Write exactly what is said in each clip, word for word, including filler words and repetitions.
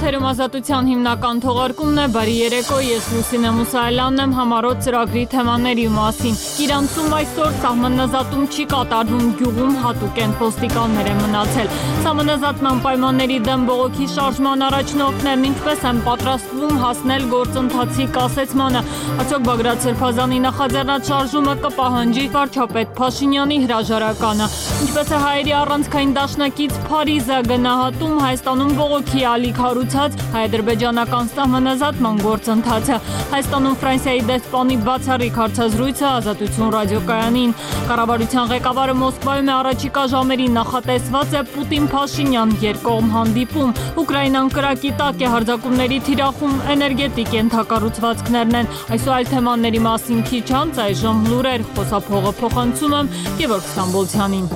Եթերում ազատության հիմնական թողարկումն է, բարի երեկո, ես Լուսինե Մուսայելյանն եմ, համառոտ ծրագրի թեմաների մասին։ Իրանցում այսօր սահմանազատում չի կատարվում, գյուղում հատուկ են ոստիկաններ են մնացել։ Սահմանազատման պայմանների դեմ բողոքի շարժման առաջնորդներն ինչպես են պատրաստվում հասնել գործընթացի կասեցմանը։ Արդյոք Բագրատ Սրբազանի նախաձեռնած շարժումը կպահանջի վարչապետ Փաշինյանի հրաժարականը։ Ինչպես է հայերի առանցքային դաշնակից Փարիզը գնահատում Հայաստանում բողոքի ալիք հարուցած հայ-ադրբեջանական սահմանազատման գործընթացը։ Հայաստանում Ֆրանսիայի դեսպանի բացառիկ հարցազրույցը Ազատություն ռադիոկայանին։ Կառավարության ղեկավարը Մոսկվայում է առաջիկա ժամերին նախատեսված է Պուտին-Փաշինյան երկկողմ հանդիպում։ Ուկրաինան կրակի տակ է, հարձակումների թիրախում էներգետիկ ենթակառուցվածքներն են։ Այսօր այլ թեմաների մասին քիչ անց այժմ լուրեր, խոսափողը փոխանցում եմ Գևորգ Ստամբոլցյանին։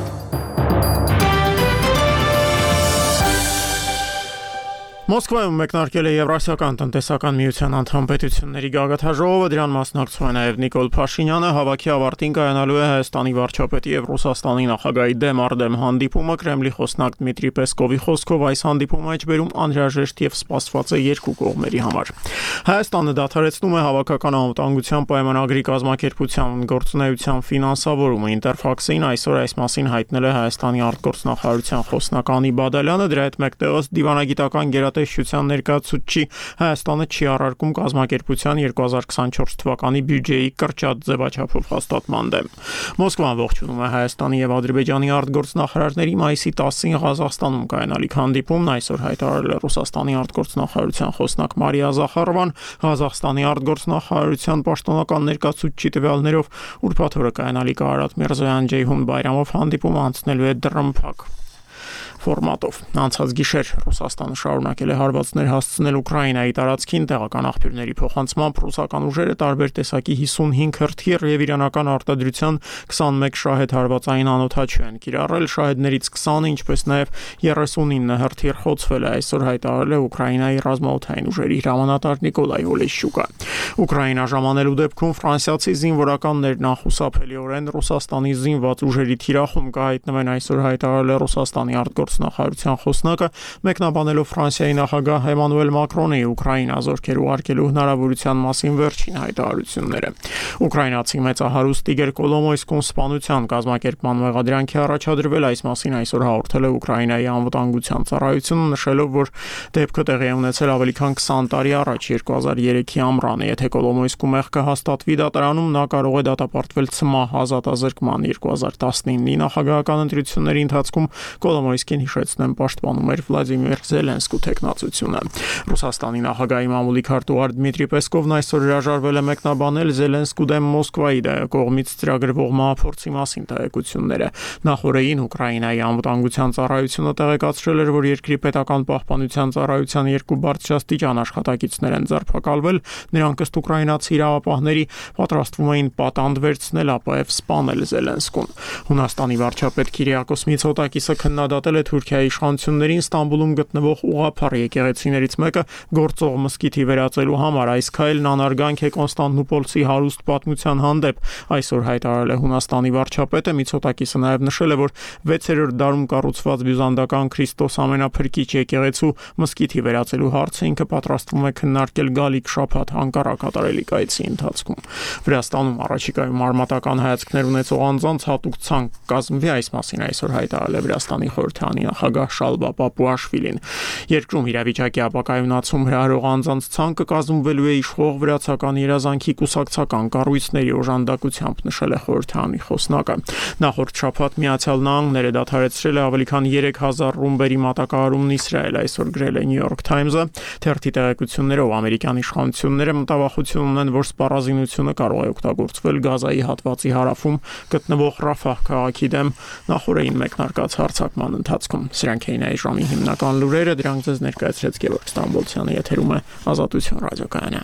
Մոսկվայում մեկնարկել է Եվրասիական տնտեսական միության անդամ պետությունների գագաթնաժողովը, դրան մասնակցում է նաև Նիկոլ Փաշինյանը, հավաքի ավարտին կայանալու է Հայաստանի վարչապետի եւ Ռուսաստանի նախագահի դեմ առ դեմ հանդիպումը, Կրեմլի խոսնակ Դմիտրի Պեսկովի խոսքով այս հանդիպումը մեջբերում անհրաժեշտ եւ սպասված է երկու կողմերի համար։ Հայաստանը դադարեցնում է հավաքական անվտանգության պայմանագրի կազմակերպության գործունեության ֆինանսավորումը։ Ինտերֆաքսին այսօր այս մասին հայտնել է Հայաստանի արտգործնախարարության խոսնակ Անի Բադալյանը, դրա հետ մեկտեղած դիվանագիտական գերատեսչության ներկայացուցիչի Հայաստանը չի առարկում կազմակերպության երկու հազար քսանչորս թվականի բյուջեի կրճատ ձևաչափով հաստատման դեմ։ Մոսկվան ողջունում է Հայաստանի եւ Ադրբեջանի արտգործնախարարների մայիսի տասին Ղազախստանում կայանալիք հանդիպումն այսօր հայտարարել է Ռուսաստանի արտգործնախարարության խոսնակ Մարիա Զախարովան, Ղազախստանի արտգործնախարարության պաշտոնական ներկայացուցիչի տվյալներով ուրբաթ օրը կայանալիք Արարատ Միրզոյան Ջեյհուն Բայրամով հանդիպումը անցնելու է դռնփակ ֆորմատով։ Անցած գիշեր Ռուսաստանը շարունակել է հարվածներ հասցնել Ուկրաինայի տարածքին, տեղական աղբյուրների փոխանցմամբ ռուսական ուժերը տարբեր տեսակի հիսունհինգ հրթիռ եւ իրանական արտադրության քսանմեկ շահեդ հարվածային անօդաչու են կիրառել, շահեդներից քսանը, ինչպես նաեւ երեսունինը հրթիռ խոցվել է, այսօր հայտարարել է Ուկրաինայի ռազմաօդային ուժերի հրամանատար Նիկոլայ Օլեշյուկը։ Ուկրաինա ժամանելու դեպքում ֆրանսիացի զինվորականներն անխուսափելիորեն Ռուսաստանի զինված ուժերի թիրախում կհայտնվեն, այսօր հայտարարել է Ռուսաստանի արտգործնախարարության խոսնակը, մեկնաբանելով Ֆրանսիայի նախագահ Էմանուել Մակրոնի Ուկրաինա զորքեր ուղարկելու հնարավորության մասին վերջին հայտարարությունները։ Ուկրաինացի մեծահարուստ Իգոր Կոլոմոյսկուն սպանության կազմակերպման մեղադրանքի առաջադրվել, այս մասին այսօր հաղորդել է Ուկրաինայի անվտանգության ծառայությունը, նշելով, որ դեպքը տեղի է ունեցել ավելի քան քսան տարի առաջ, երկու հազար երեքի ամռանը։ Եթե Կոլոմոյսկու մեղքը հաստատվի դատարանում, նա կարող է դատապարտվել ցմահ ազատազրկման։ երկու հազար տասնինի նախագահական ընտրությունների ընթացքում Կոլոմոյսկին, հիշեցնեմ, պաշտպանում էր Վլադիմիր Զելենսկու թեկնածությունը։ Ռուսաստանի նախագահի մամուլի քարտուղար Դմիտրի Պեսկովն այսօր հրաժարվել է մեկնաբանել Զելենսկու դեմ Մոսկվայի կողմից ծրագրվող մահափորձի մասին տեղեկությունները։ Նախորդին Ուկրաինայի անվտանգության ծառայությունը տեղեկացրել էր, որ երկրի պետական պահպանության ծառայության երկու բարձրաստիճան աշխատակիցներ են ձերբակալվել, նրանք ըստ ուկրաինացի իրավապահների պատրաստվում էին պատանդ վերցնել, ապա եւ սպանել Զելենսկուն։ Հունաստանի վարչապետ Քիրիակոս Միցոտակիսը քննադատել է Թուրքիայի իշխանություններին Ստամբուլում գտնվող ուղղափառ եկեղեցիներից մեկը գործող մզկիթի վերածելու համար։ Այս քայլն անարգանք է Կոնստանտինոպոլցի հարուստ պատմության հանդեպ, այսօր հայտարարել է Հունաստանի վարչապետը։ Միցոտակիսը նաև նշել է, որ վեցերորդ դարում կառուցված բյուզանդական Քրիստոս ամենափրկիչ եկեղեցու մզկիթի վերածելու հարցը ինքը պատրաստվում է քննարկել գալիք շաբաթ Անկարա կատարելի կայցի ընթացքում։ Վրաստանում առաջիկայում արմատական հայացքներ ունեցող անձանց հատուկ ցանկ կազմվի, այս մասին այսօր հայտարարել է Վրաստանի խորհրդանի նախագահ Շալվա Պապուաշվիլին։ Երկրում իրավիճակի ապակայունացում հրահրող անձանց ցանկը կազմվելու է իշխող վրացական երազանքի կուսակցական կառույցների օժանդակությամբ, նշել է խորհրդանի խոսնակը։ Նախորդ շաբաթ Միացյալ Նահանգները դադարեցրել է ավելի քան երեք հազար ռումբերի մատակարարումն Իսրայել, այսօր գրել է New York Times-ը։ Թերթի տեղեկություններով ամերիկյան իշխանությունները մտավախություն ունեն, որ սպառազինությունը կարող է օգտագործվել Գազայի հատվածի հարավում գտնվող Ռաֆահ քաղաքի դեմ նախորդին մեկնարկած հարձակման ընթացքում։ Սրանք էին այս ժամի հիմնական լուրերը, դրանք ձեզ ներկայացրեց Գևորգ Ստամբոլցյանը, եթերում է Ազատություն ռադիոկայանը։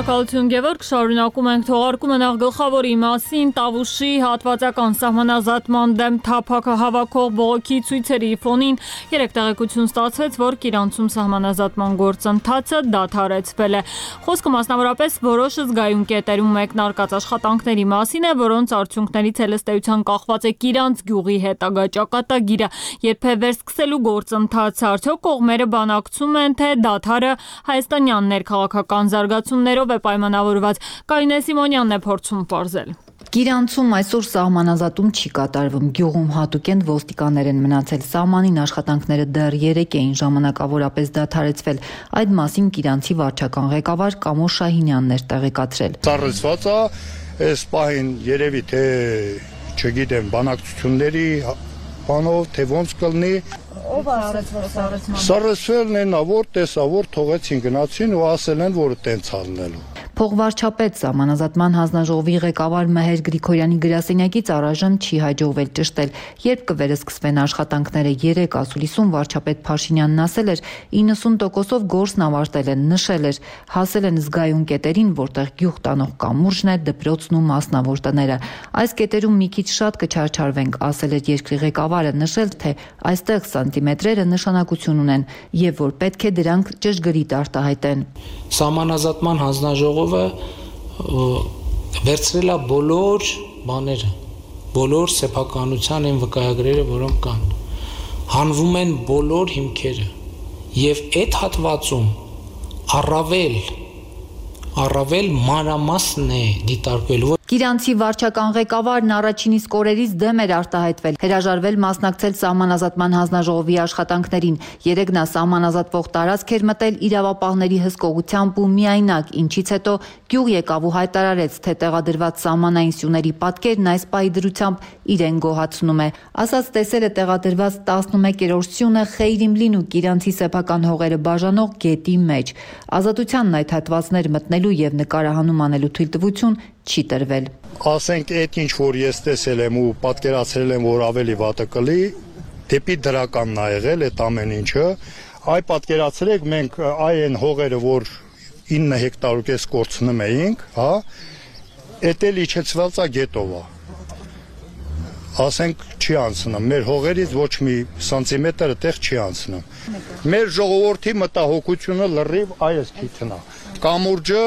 Շնորհակալություն Գևորգ, շարունակում ենք թողարկումը նախ գլխավորի մասին Տավուշի հատվածական սահմանազատման դեմ թափակ հավաքող բողոքի ցույցերի ֆոնին երեք տեղեկություն ստացվեց, որ Կիրանցում սահմանազատման գործընթացը դադարեցվել է։ Խոսքը մասնավորապես որոշ զգայուն կետերում մեկնարկած աշխատանքների մասին է, որոնց արդյունքներից ելստեյության կախված է Կիրանց գյուղի հետագա ճակատագիրը, երբ է վերսկսելու գործընթացը, արդյոք կողմերը բանակցում են, թե դադարը հայաստանյան ներքաղաքական զարգացումներով է պայմանավորված։ Կարինե Սիմոնյանն է փորձում պարզել։ Կիրանցում այսօր սահմանազատում չի կատարվում։ Գյուղում հատուկենտ ոստիկաններ են մնացել։ Սահմանին աշխատանքները դեռ երեք էին ժամանակավորապես դադարեցվել։ Այդ մասին Կիրանցի վարչական ղեկավար Կամոշ Շահինյանն էր տեղեկացրել։ Ծառացված է, այս պահին երևի թե չգիտեմ բանակցությունների բանով թե ոնց կլինի։ Ով ասացվեց Սառեցվելն են, որ տեսավոր թողեցին գնացին ու ասել են, որ տենց ալնելու։ Փողվարչապետ սահմանազատման հանձնաժողովի ղեկավար Մեհեր Գրիգորյանի գրասենյակից առայժմ չի հաջողվել ճշտել, երբ կվերսկսվեն աշխատանքները։ Երեք ասուլիսում վարչապետ Փաշինյանն ասել էր, իննսուն տոկոսով գործն ավարտել են, նշել էր, հասել են զգայուն կետերին, որտեղ գյուղ տանող կամուրջն է, դպրոցն ու մասնավոր տները։ Այս կետերում մի քիչ շատ կչարչարվենք, ասել էր երկրի ղեկավարը, նշել, թե այստեղ սանտիմետրերը նշանակություն ունեն եւ որ պետք է դրանք ճշգրիտ արտահայտեն։ Սահմանազատման հանձնաժողովը վերցրել է բոլոր բաները, բոլոր սեփականության այն վկայագրերը, որոնք կան, հանվում են բոլոր հիմքերը եւ այդ հատվածում առավել առավել մանրամասն է դիտարկվել։ Կիրանցի վարչական ղեկավարն առաջին իսկ օրերից դեմ էր արտահայտվել, հրաժարվել մասնակցել սահմանազատման հանձնաժողովի աշխատանքներին։ Երեկ նա սահմանազատվող տարածք էր մտել իրավապահների հսկողությամբ ու միայնակ, ինչից հետո գյուղ եկավ ու հայտարարեց, թե տեղադրված սահմանային սյուների պատկերն այս պահի դրությամբ իրեն գոհացնում է։ Ասաց տեսել է տեղադրված տասնմեկերորդ սյունը Խեյրիմլին ու Կիրանցի սեփական հողերը բաժանող գետի մեջ։ Ազատությանն այդ հատվածներ մտնելու եւ նկարահանում անելու թույլտվություն չի տրվել։ Ասենք այդ ինչ որ ես տեսել եմ ու պատկերացրել եմ, որ ավելի վատը կլի, դեպի դրականն ա եղել այդ ամեն ինչը, այ պատկերացրեք մենք այ այն հողերը, որ ինը հեկտար ու կես կորցնում էինք, հա, էդ էլ իջեցված է գետով է։ Ասենք չի անցնում, մեր հողերից ոչ մի սանտիմետր այդտեղ չի անցնում։ Մեր ժողովրդի մտահոգությունը լրիվ այս քիթնա։ Կամուրջը,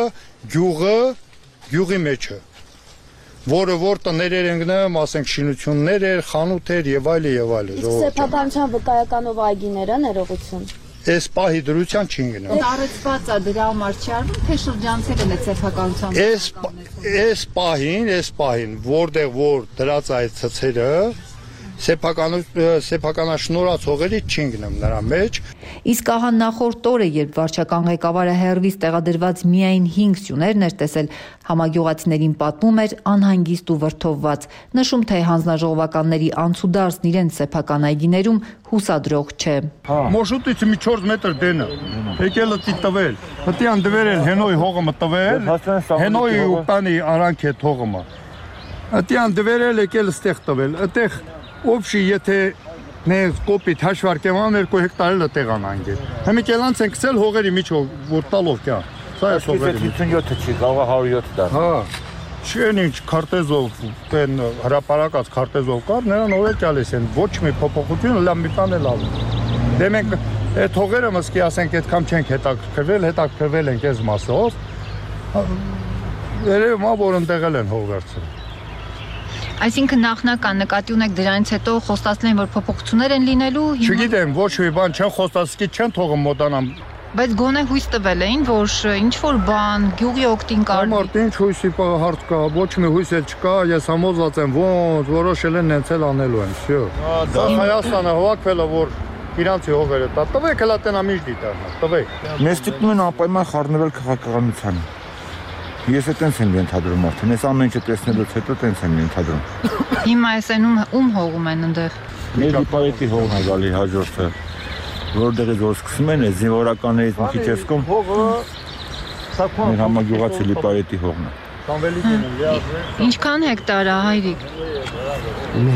գյուղը, գյուղի մեջը, որը որ տներ են գնում, ասենք շինություններ էր, խանութ էր եւ այլ եւ այլ։ Իսկ սեփականության վկայականով այգիները ներողություն։ Այս պահի դրության չի գնում։ Տարածված է դրա համար չի արվում, թե շրջանցել են այդ սեփականության։ Այս այս պահին, այս պահին, որտեղ որ դրած այդ ցցերը Սեփական սեփականաշնորհած հողերից չի գնում նրա մեջ։ Իսկ ահա նախորդ օրը, երբ վարչական ղեկավարը հերվից տեղադրված միայն հինգ սյուներն էր տեսել, համագյուղացիներին պատմում էր անհանգիստ ու վրդովված, նշում, թե հանձնաժողովականների անցուդարձն իրենց սեփական այգիներում հուսադրող չէ։ Մոշուտից մի չորս մետր դենը, եկել է տվել, պետք է դվերել հենոյի հողը մտվել, հենոյի ու տանի արանք է թողումը։ Պետք է դվերել եկել ստեղ տվել, այդտեղ Օբշի եթե նեղ կոպիտ հաշվարկեմ ան երկու հեկտար էլ տեղան անգել։ Հիմա կելանց են գցել հողերի միջով, որ տալով կա։ Սա է հողերի հիսունյոթը չի, կարող է հարյուր յոթ տա։ Հա։ Չեն ինչ քարտեզով, այն հրապարակած քարտեզով կար, նրան օրը գալիս են, ոչ մի փոփոխություն լավ մի բան էլ ալու։ Դե մենք այդ հողերը մսկի ասենք այդքան չենք հետաքրքրվել, հետաքրքրվել ենք այս մասով։ Երևում է որ ընտեղել են հող վերցրել։ Այսինքն նախնական նկատի ունեք դրանից հետո խոստացնել են, որ փոփոխություններ են լինելու։ Չգիտեմ, ոչ մի բան չեն խոստացկի չեն թողում մոտանամ։ Բայց գոնե հույս տվել էին, որ ինչ որ բան գյուղի օգտին կարվի։ Մարդ ինչ հույսի հարց կա, ոչ մի հույս էլ չկա, ես համոզված եմ, ոնց որոշել են նենց էլ անելու են, всё։ Դա Հայաստանը հավաքվել է, որ իրանցի հողերը տա, տվեք հլա տենա միշտ դիտարնա, տվեք։ Մեզ տիկնում են անպայման խառնվել քաղաքականությանը։ Ես է տենց եմ ենթադրում արդեն, ես ամեն ինչը տեսնելուց հետո տենց եմ ենթադրում։ Հիմա այս են ում հողում են ընդեղ։ Մեր դիպարետի հողն է գալի հաջորդը, որտեղից որ սկսում են, այս զինվորականներից մի քիչ եսկում, մեր համագյուղացի լիպարետի հողն է։ Ինչքան հեկտար է, հայրիկ։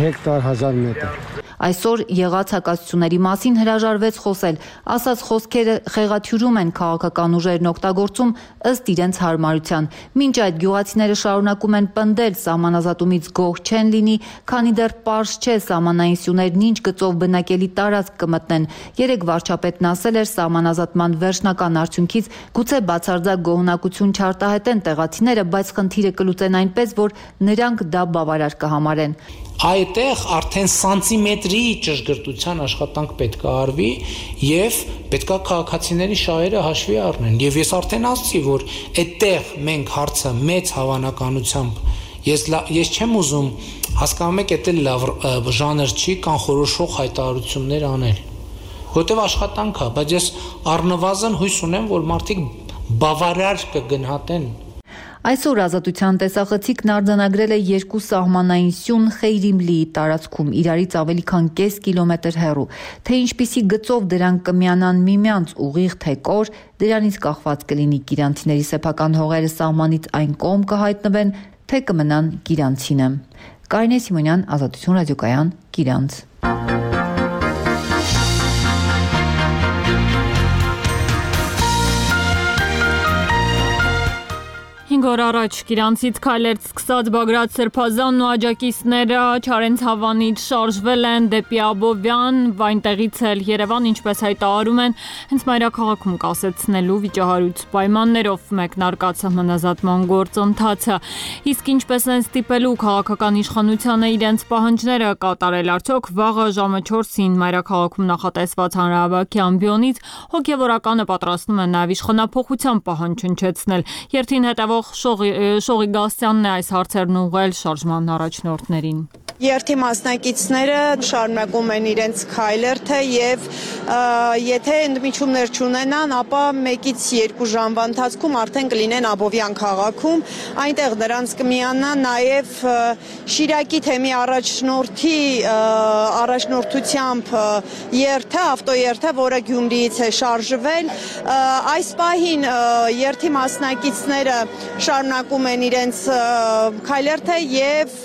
Հեկտար հազար մետր։ Այսօր եղած հակասությունների մասին հրաժարվեց խոսել, ասաց խոսքերը խեղաթյուրում են քաղաքական ուժերն օգտագործում ըստ իրենց հարմարության։ Մինչ այդ գյուղացիները շարունակում են պնդել սահմանազատումից գոհ չեն լինի, քանի դեռ պարզ չէ սահմանային սյուներն ինչ գծով բնակելի տարածք կմտնեն։ Երեկ վարչապետն ասել էր սահմանազատման վերջնական արդյունքից գուցե բացարձակ գոհունակություն չարտահայտեն տեղացիները, բայց խնդիրը կլուծեն այնպես, որ նրանք դա բավարար կհամարեն։ Այդտեղ արդեն սանտիմետրի ճշգրտության աշխատանք պետք է արվի եւ պետք է քաղաքացիների շահերը հաշվի առնեն։ Եվ ես արդեն ասացի, որ այդտեղ մենք հարցը մեծ հավանականությամբ ես ես չեմ ուզում, հասկանում եք, դա լավ ժանր չի կանխորոշող հայտարարություններ անել։ Որտեւ աշխատանք է, բայց ես առնվազն հույս ունեմ, որ մարդիկ բավարար կգնահատեն։ Այսօր Ազատության տեսախցիկն արձանագրել է երկու սահմանային սյուն Խեյրիմլիի տարածքում, իրարից ավելի քան կես կիլոմետր հեռու։ Թե ինչպիսի գծով դրանք կմիանան միմյանց ուղիղ թե կոր, դրանից կախված կլինի կիրանցիների սեփական հողերը սահմանից այն կողմ կհայտնվեն, թե կմնան կիրանցինը։ Կարինե Սիմոնյան, Ազատություն ռադիոկայան, Կիրանց։ Հինգ օր առաջ Կիրանցից քայլերց սկսած Բագրատ Սրբազանն ու աջակիցները Չարենց Հավանից շարժվել են դեպի Աբովյան, այնտեղից էլ Երևան, ինչպես հայտարարում են, հենց մայրաքաղաքում կասեցնելու վիճահարույց պայմաններով մեկնարկած սահմանազատման գործընթացը։ Իսկ ինչպես են ստիպելու քաղաքական իշխանությանը իրենց պահանջները կատարել, արդյոք վաղը ժամը չորսին մայրաքաղաքում նախատեսված հանրահավաքի ամբիոնից հոգևորականը պատրաստում են նաև իշխանափոխության պահանջ հնչեցնել։ Երթին հետևող Շողի Գասյանն է այս հարցերն ուղղել շարժման առաջնորդներին։ Երթի մասնակիցները շարունակում են իրենց քայլերթը եւ եթե ընդմիջումներ չունենան, ապա մեկից երկու ժամվա ընթացքում արդեն կլինեն Աբովյան քաղաքում, այնտեղ նրանց կմիանա նաեւ Շիրակի թեմի առաջնորդի առաջնորդությամբ երթը, ավտոերթը, որը Գյումրիից է շարժվել, այս պահին երթի մասնակիցները շարունակում են իրենց քայլերթը եւ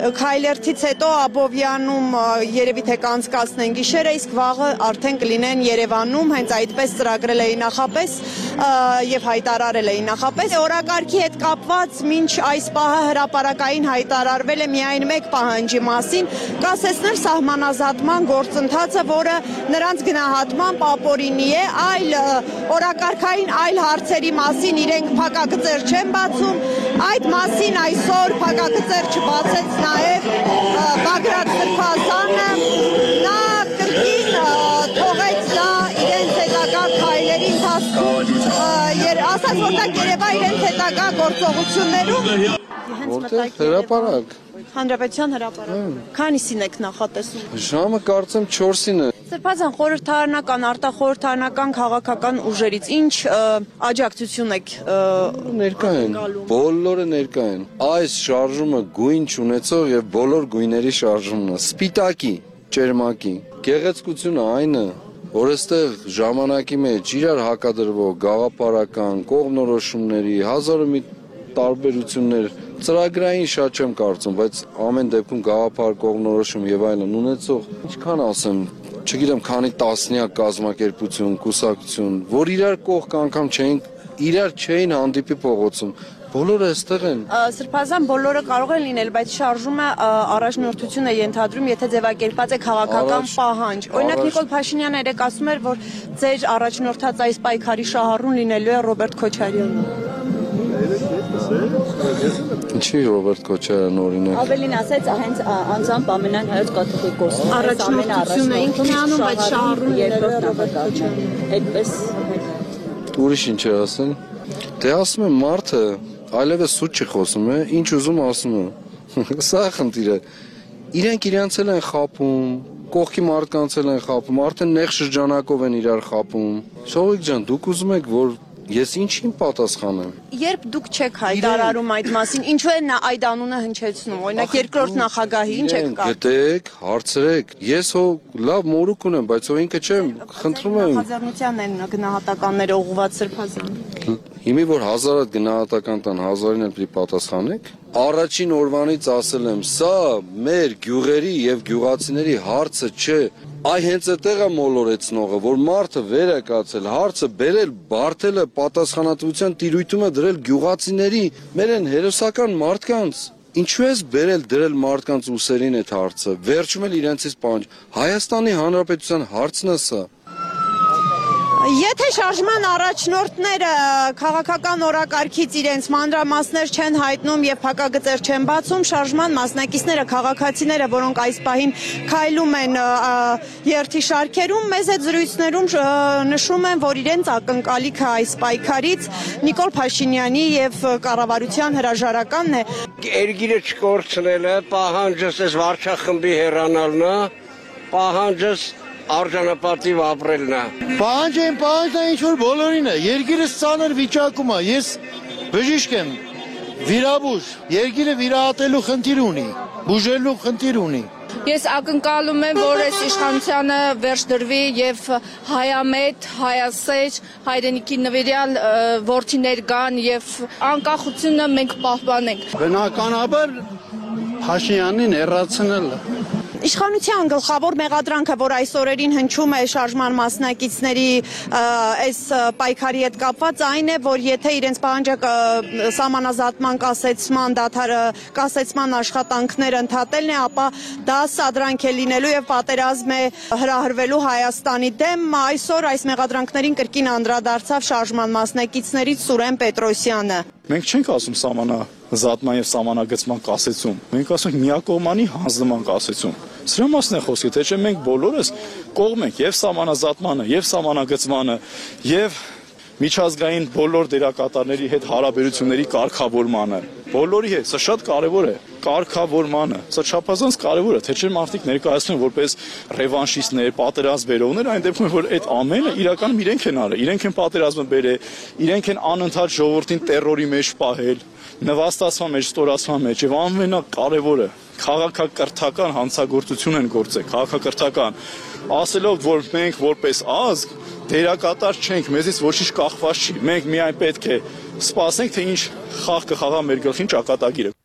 քայլերթից հետո Աբովյանում երևի թե կանցկացնեն գիշերը, իսկ վաղը արդեն կլինեն Երևանում, հենց այդպես ծրագրել էին նախապես եւ հայտարարել էին նախապես։ Օրակարգի հետ կապված մինչ այս պահը հրապարակային հայտարարվել է միայն մեկ պահանջի մասին՝ կասեցնել սահմանազատման գործընթացը, որը նրանց գնահատմամբ ապօրինի է, այլ օրակարգային այլ հարցերի մասին իրենք փակագծեր չեն բացում։ Այդ մասին այսօր փակագծեր չբացեց նաև Բագրատ Սրբազանը, նա կրկին թողեց դա իրենց հետագա քայլերի ընթացքում, ասաց, որ դա կերևա իրենց հետագա գործողություններում։ Որտեղ հրապարակ։ Հանրապետության հրապարակ։ Քանիսին եք նախատեսում։ Ժամը կարծեմ չորսին է։ Սրբազան, խորհրդարանական, արտախորհրդարանական քաղաքական ուժերից ինչ աջակցություն եք ներկա են, բոլորը ներկա են։ Այս շարժումը գույն չունեցող եւ բոլոր գույների շարժումն է, սպիտակի, ճերմակի։ Գեղեցկությունը այն է, որ այստեղ ժամանակի մեջ իրար հակադրվող գաղափարական կողմնորոշումների հազարը մի տարբերություններ, ծրագրային շատ չեմ կարծում, բայց ամեն դեպքում գաղափար կողմնորոշում եւ այլն ունեցող, ինչքան ասեմ, չգիտեմ, քանի տասնյակ կազմակերպություն, կուսակցություն, որ իրար կողք անգամ չէին, իրար չէին հանդիպի փողոցում, բոլորը այստեղ են։ Սրբազան բոլորը կարող են լինել, բայց շարժումը առաջնորդություն է ենթադրում, եթե ձևակերպած է քաղաքական պահանջ։ Օրինակ Նիկոլ Փաշինյանը երեք ասում էր, որ ձեր առաջնորդած այս պայքարի շահառուն լինելու է Ռոբերտ Քոչարյանը։ Ինչի Ռոբերտ Քոչարյանն օրինակ։ Ավելին ասեց, հենց անձամբ ամենայն հայոց կաթողիկոսն առաջնորդությունը ինքն է անում, բայց շահառուն երկրորդ Ռոբերտ Քոչարյանը։ Այդպես ուրիշ ինչ է ասեն։ Դե ասում եմ մարդը այլևս սուտ չի խոսում, է, ինչ ուզում ասում է։ Սա է խնդիրը։ Իրենք իրանց էլ են խափում, կողքի մարդկանց էլ են խափում, արդեն նեղ շրջանակով են իրար խափում։ Շողիկ ջան, դուք ուզում եք, որ ես ինչին պատասխանեմ։ Երբ դուք չեք հայտարարում այդ մասին, ինչու է նա այդ անունը հնչեցնում։ Օրինակ երկրորդ նախագահի ինչ եք կա։ Գտեք, հարցրեք։ Ես հո լավ մորուք ունեմ, բայց հո ինքը չեմ, խնդրում եմ։ Նախաձեռնությանն են գնահատականները ուղղված Սրբազան։ Հիմի որ հազար հատ գնահատական տան հազարին էլ պիտի պատասխանեք։ Առաջին օրվանից ասել եմ, սա մեր գյուղերի եւ գյուղացիների հարցը չէ։ Այ հենց այդտեղ է մոլորեցնողը, որ մարդը վեր է կացել, հարցը բերել, բարթելը պատասխանատվության տիրույթում է դրել գյուղացիների, մեր են հերոսական մարդկանց։ Ինչու ես բերել դրել մարդկանց ուսերին այդ հարցը, վերջում էլ իրենցից պահանջ։ Հայաստանի Հանրապետության հարցն է սա։ Եթե շարժման առաջնորդները քաղաքական օրակարգից իրենց մանրամասներ չեն հայտնում եւ փակագծեր չեն բացում, շարժման մասնակիցները, քաղաքացիները, որոնք այս պահին քայլում են երթի շարքերում, մեզ այդ զրույցներում նշում են, որ իրենց ակնկալիքը այս պայքարից Նիկոլ Փաշինյանի եւ կառավարության հրաժարականն է։ Երգիրը չկորցնելը, պահանջս այս վարչախմբի հեռանալն է, պահանջս արժանապատիվ ապրելն է։ Պահանջը են պահանջն է ինչ-որ բոլորին է, երգիրս ծանր վիճակում է, ես բժիշկ եմ, վիրաբույժ, երգիրը վիրահատելու խնդիր ունի, բուժելու խնդիր ունի։ Ես ակնկալում եմ, որ այս իշխանությանը վերջ դրվի եւ հայամետ, հայասեր, հայրենիքի նվիրյալ որդիներ կան եւ անկախությունը մենք պահպանենք։ Բնականաբար Փաշինյանին հեռացնելը Իշխանության գլխավոր մեղադրանքը, որ այս օրերին հնչում է շարժման մասնակիցների այս պայքարի հետ կապված, այն է, որ եթե իրենց պահանջը սահմանազատման կասեցման դադարը, կասեցման աշխատանքները ընդհատելն է, ապա դա սադրանք է լինելու եւ պատերազմ է հրահրվելու Հայաստանի դեմ։ Այսօր այս մեղադրանքներին կրկին անդրադարձավ շարժման մասնակիցներից Սուրեն Պետրոսյանը։ Մենք չենք ասում սահմանազատման եւ սահմանագծման կասեցում, մենք ասում ենք միակողմանի հանձնման կասեցում։ Սրա մասն է խոսքը, թե չէ մենք բոլորս կողմ ենք եւ սահմանազատմանը, եւ սահմանագծմանը, եւ միջազգային բոլոր դերակատարների հետ հարաբերությունների կարգավորմանը։ Բոլորի հետ, սա շատ կարևոր է, կարգավորմանը։ Սա չափազանց կարևոր է, թե չէ մարդիկ ներկայացնում են որպես ռևանշիստներ, պատերազմ բերողներ, այն դեպքում որ այդ ամենը իրականում իրենք են արել, իրենք են պատերազմը բերել, իրենք են անընդհատ ժողովրդին տերորի մեջ պահել, նվաստացման մեջ, ստորացման մեջ, եւ ամենակարևորը քաղաքակրթական հանցագործություն են գործել, քաղաքակրթական, ասելով, որ մենք որպես ազգ դերակատար չենք, մեզից ոչինչ կախված չի, մենք միայն պետք է սպասենք, թե ինչ խաղ կխաղա մեր գլխին ճակատագիրը։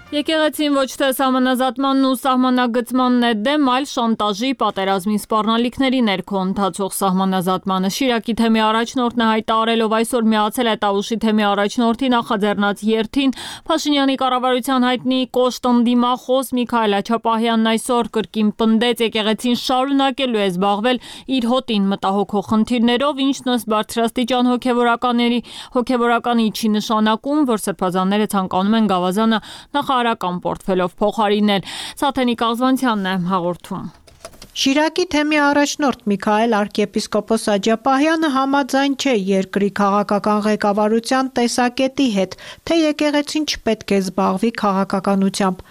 Եկեղեցին ոչ թե սահմանազատմանն ու սահմանագծմանն է դեմ, այլ շանտաժի, պատերազմի սպառնալիքների ներքո ընթացող սահմանազատմանը։ Շիրակի թեմի առաջնորդն է հայտարարելով այսօր միացել է Տավուշի թեմի առաջնորդի նախաձեռնած երթին։ Փաշինյանի կառավարության հայտնի կոշտ ընդդիմախոս Միքայել Աչապահյանն այսօր կրկին պնդեց եկեղեցին շարունակելու է զբաղվել իր հոտին մտահոգող խնդիրներով, ինչն ըստ բարձրաստիճան հոգևորականների հոգևորականի չի նշանակում, որ սրբազանները ցանկանում են գավազանը նախարարական պորտֆելով փոխարինել։ Սաթենիկ Աղզվանցյանն է հաղորդում։ Շիրակի թեմի առաջնորդ Միքայել arczepiskopos Աջապահյանը համաձայն չէ երկրի քաղաքական ղեկավարության տեսակետի հետ, թե եկեղեցին չպետք է զբաղվի քաղաքականությամբ։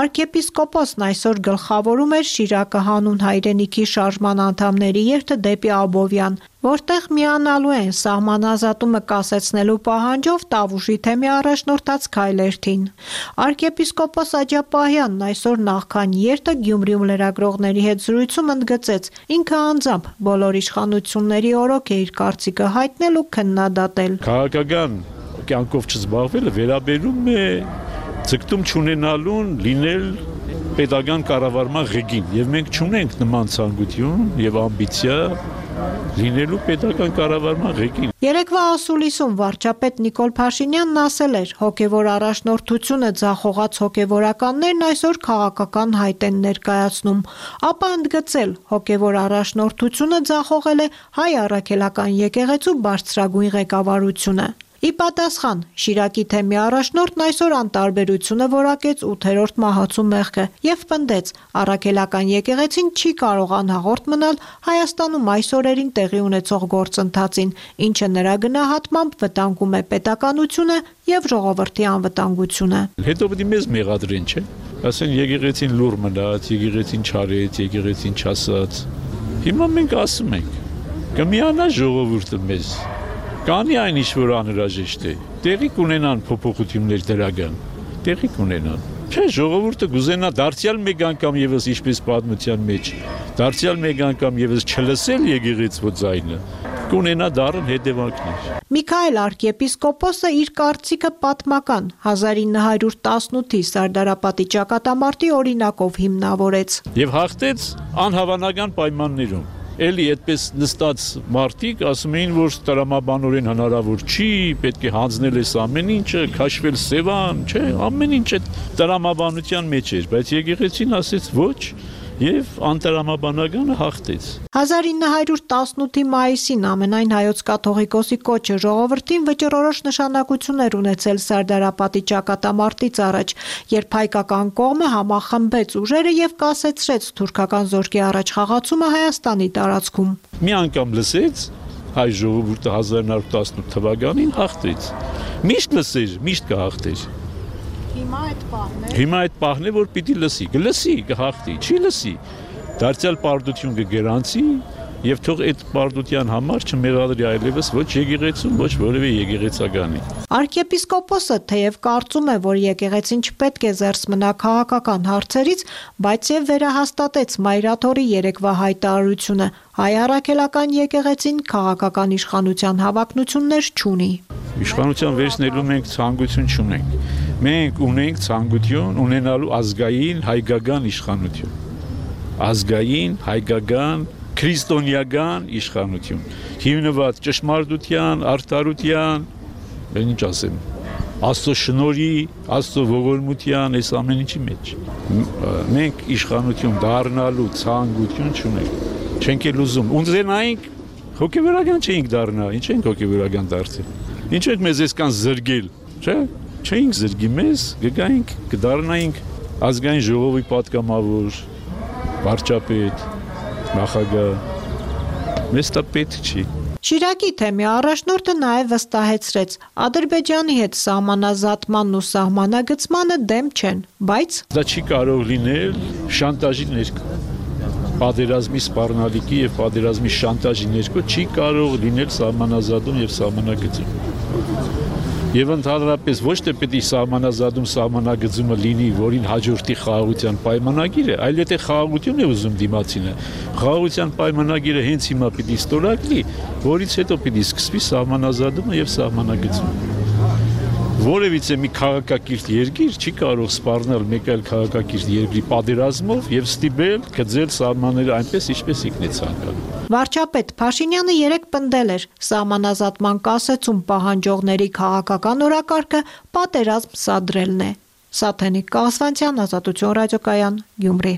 Arczepiskoposն այսօր գլխավորում էր Շիրակը հանուն հայրենիքի շարժման անդամների երթը դեպի Աբովյան, որտեղ միանալու են սահմանազատումը կասեցնելու պահանջով Տավուշի թեմի առաջնորդած քայլերթին։ Arczepiskopos Աջապահյանն այսօր նախքան երթը Գյումրիում լրագրողների հետ զրույցում ընդգծեց, ինքը անձամբ բոլոր իշխանությունների օրոք է իր կարծիքը հայտնել ու քննադատել։ Քաղաքական կյանքով չզբաղվելը վերաբերում է ձգտում չունենալուն լինել պետական կառավարման ղեկին, եւ մենք չունենք նման ցանկություն եւ ամբիցիա լինելու պետական կառավարման ղեկին։ Երեկվա ասուլիսում վարչապետ Նիկոլ Փաշինյանն ասել էր, հոգևոր առաջնորդությունը ձախողած հոգևորականներն այսօր քաղաքական հայտ են ներկայացնում, ապա ընդգծել, հոգևոր առաջնորդությունը ձախողել է հայ առաքելական եկեղեցու բարձրագույն ղեկավարությունը։ Ի պատասխան Շիրակի թեմի առաջնորդն այսօր անտարբերությունը որակեց ութերորդ մահացու մեղքը եւ պնդեց, առաքելական եկեղեցին չի կարող անհաղորդ մնալ Հայաստանում այս օրերին տեղի ունեցող գործընթացին, ինչը նրա գնահատմամբ վտանգում է պետականությունը եւ ժողովրդի անվտանգությունը։ Հետո պետք է մեզ մեղադրեն, չէ՞։ Ասեն եկեղեցին լուր մնաց, եկեղեցին չարեց, եկեղեցին չասաց։ Հիմա մենք ասում ենք, կմիանա ժողովուրդը մեզ։ Կանի այն ինչ որ անհրաժեշտ է, տեղի կունենան փոփոխություններ դրական, տեղի կունենան, Չէ, ժողովուրդը գուզենա դարձյալ մեկ անգամ եւս ինչպես պատմության մեջ, դարձյալ մեկ անգամ եւս չլսել եկեղեցու ձայնը, կունենա դառն հետևանքներ։ Միքայել arczepiskopos-ը իր կարծիքը պատմական հազար ինը հարյուր տասնութի Սարդարապատի ճակատամարտի օրինակով հիմնավորեց։ Եվ հաղթեց անհավանական պայմաններում։ Էլի այդպես նստած մարդիկ ասում էին, որ տրամաբանորեն հնարավոր չի, պետք է հանձնել այս ամեն ինչը, քաշվել Սևան, չէ, ամեն ինչ այդ տրամաբանության մեջ էր, բայց եկեղեցին ասեց ոչ եւ անտրամաբանականը հաղթեց։ հազար ինը հարյուր տասնութի մայիսին ամենայն հայոց կաթողիկոսի կոչը ժողովրդին վճռորոշ նշանակություններ ունեցել Սարդարապատի ճակատամարտից առաջ, երբ հայկական կողմը համախմբեց ուժերը եւ կասեցրեց թուրքական զորքի առաջ խաղացումը Հայաստանի տարածքում։ Մի անգամ լսեց հայ ժողովուրդը հազար ինը հարյուր տասնութ թվականին հաղթեց։ Միշտ լսեր, միշտ կհաղթեր։ Հիմա այդ պահն է։ Հիմա այդ պահն է, որ պիտի լսի, կլսի, կհաղթի, չի լսի։ Դարձյալ պարտություն կգերանցի եւ թող այդ պարտության համար չմեղադրի այլևս ոչ եկեղեցուն, ոչ որևէ եկեղեցականի։ Arczepiskopos-ը թեև կարծում է, որ եկեղեցին չպետք է զերծ մնա քաղաքական հարցերից, բայց եւ վերահաստատեց Մայրաթորի երեկվա հայտարարությունը։ Հայ առաքելական եկեղեցին քաղաքական իշխանության հավակնություններ չունի։ Իշխանության վերցնելու մենք ցանկություն չունենք։ Մենք ունենք ցանկություն ունենալու ազգային հայկական իշխանություն։ Ազգային հայկական քրիստոնեական իշխանություն, հիմնված ճշմարտության, արդարության, բեն ինչ ասեմ, Աստծո շնորհի, Աստծո ողորմության, այս ամեն ինչի մեջ։ Մենք իշխանություն դառնալու ցանկություն չունենք։ Չենք էլ ուզում։ Ունենայինք հոգեվորական չենք դառնա, ինչ ենք հոգեվորական դարձել։ Ինչ ենք մեզ այսքան զրգել, չէ՞։ Չենք զրգի մեզ, գգայինք, կդառնայինք ազգային ժողովի պատգամավոր, վարչապետ, նախագահ, մեզ դա պետք չի։ Շիրակի թեմի առաջնորդը նաև վստահեցրեց, Ադրբեջանի հետ սահմանազատմանն ու սահմանագծմանը դեմ չեն, բայց դա չի կարող լինել շանտաժի ներքո։ Պատերազմի սպառնալիքի եւ պատերազմի շանտաժի ներքո չի կարող լինել սահմանազատում եւ սահմանագծում։ Եվ ընդհանրապես ոչ թե պետք է սահմանազատում սահմանագծումը լինի, որին հաջորդի խաղաղության պայմանագիրը, այլ եթե խաղաղություն է ուզում դիմացինը, խաղաղության պայմանագիրը հենց հիմա պետք է ստորագրի, որից հետո պետք է սկսվի սահմանազատումը եւ սահմանագծումը։ Որևիցե մի քաղաքակիրթ երկիր չի կարող սպառնել մեկ այլ քաղաքակիրթ երկրի պատերազմով եւ ստիպել գծել սահմանները այնպես, ինչպես ինքն է ցանկանում։ Վարչապետ Փաշինյանը երեկ պնդել էր, սահմանազատման կասեցում պահանջողների քաղաքական օրակարգը պատերազմ սադրելն է։ Սաթենիկ Կասվանցյան, Ազատություն ռադիոկայան, Գյումրի։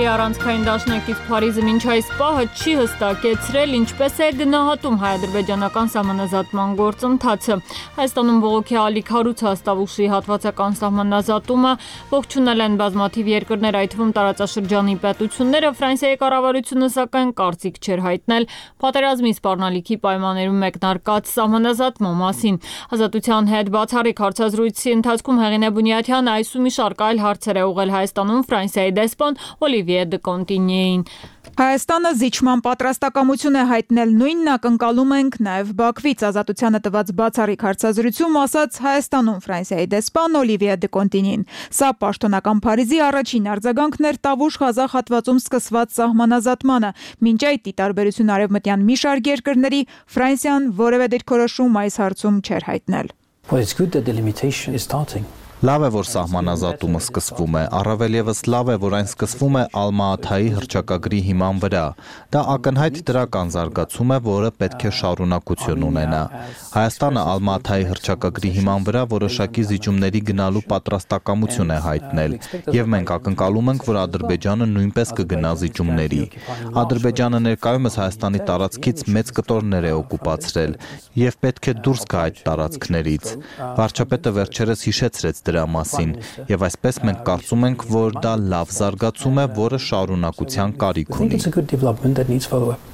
Առանցքային դաշնակից Փարիզը մինչ այս պահը չի հստակեցրել, ինչպես է գնահատում հայ-ադրբեջանական սահմանազատման գործընթացը։ Հայաստանում բողոքի ալիք հարուց հաստավ ուշի հատվածական սահմանազատումը ողջունել են բազմաթիվ երկրներ, այդ թվում տարածաշրջանի պետությունները, Ֆրանսիայի կառավարությունը սակայն կարծիք չէր հայտնել պատերազմի սպառնալիքի պայմաններում մեկնարկած սահմանազատման մասին։ Ազատության հետ բացառիկ հարցազրույցի ընթացքում Հեղինե Բունյաթյանը այս ու մի շարք այլ հարցեր է ուղղել Հայաստանում Ֆրանսիայի դեսպան Օլիվիե դե Կոնտինյեին։ Հայաստանը զիջման պատրաստակամություն է հայտնել, նույնն ակնկալում ենք նաև Բաքվից։ Ազատությանը տված բացառիկ հարցազրույցում ասաց Հայաստանում Ֆրանսիայի դեսպան Օլիվիե դե Կոնտինյեն։ Սա պաշտոնական Փարիզի առաջին արձագանքն էր Տավուշ-Ղազախ հատվածում սկսված սահմանազատմանը։ Մինչ այդ ի տարբերություն արևմտյան մի շարք երկրների, Ֆրանսիան որևէ դիրքորոշում այս հարցում չէր հայտնել։ Well, it's good that the limitation is starting. Լավ է, որ սահմանազատումը սկսվում է, առավել ևս լավ է, որ այն սկսվում է Ալմա-Աթայի հռչակագրի հիման վրա։ Դա ակնհայտ դրական զարգացում է, որը պետք է շարունակություն ունենա։ Հայաստանը Ալմա-Աթայի հռչակագրի հիման վրա որոշակի զիջումների գնալու պատրաստակամություն է հայտնել, եւ մենք ակնկալում ենք, որ Ադրբեջանը նույնպես կգնա զիջումների։ Ադրբեջանը ներկայումս Հայաստանի տարածքից մեծ կտորներ է օկուպացրել եւ պետք է դուրս գա այդ տարածքներից։ Վարչապետը վերջերս հիշեցրեց դրա մասին, եւ այսպես մենք կարծում ենք, որ դա լավ զարգացում է, որը շարունակության կարիք ունի։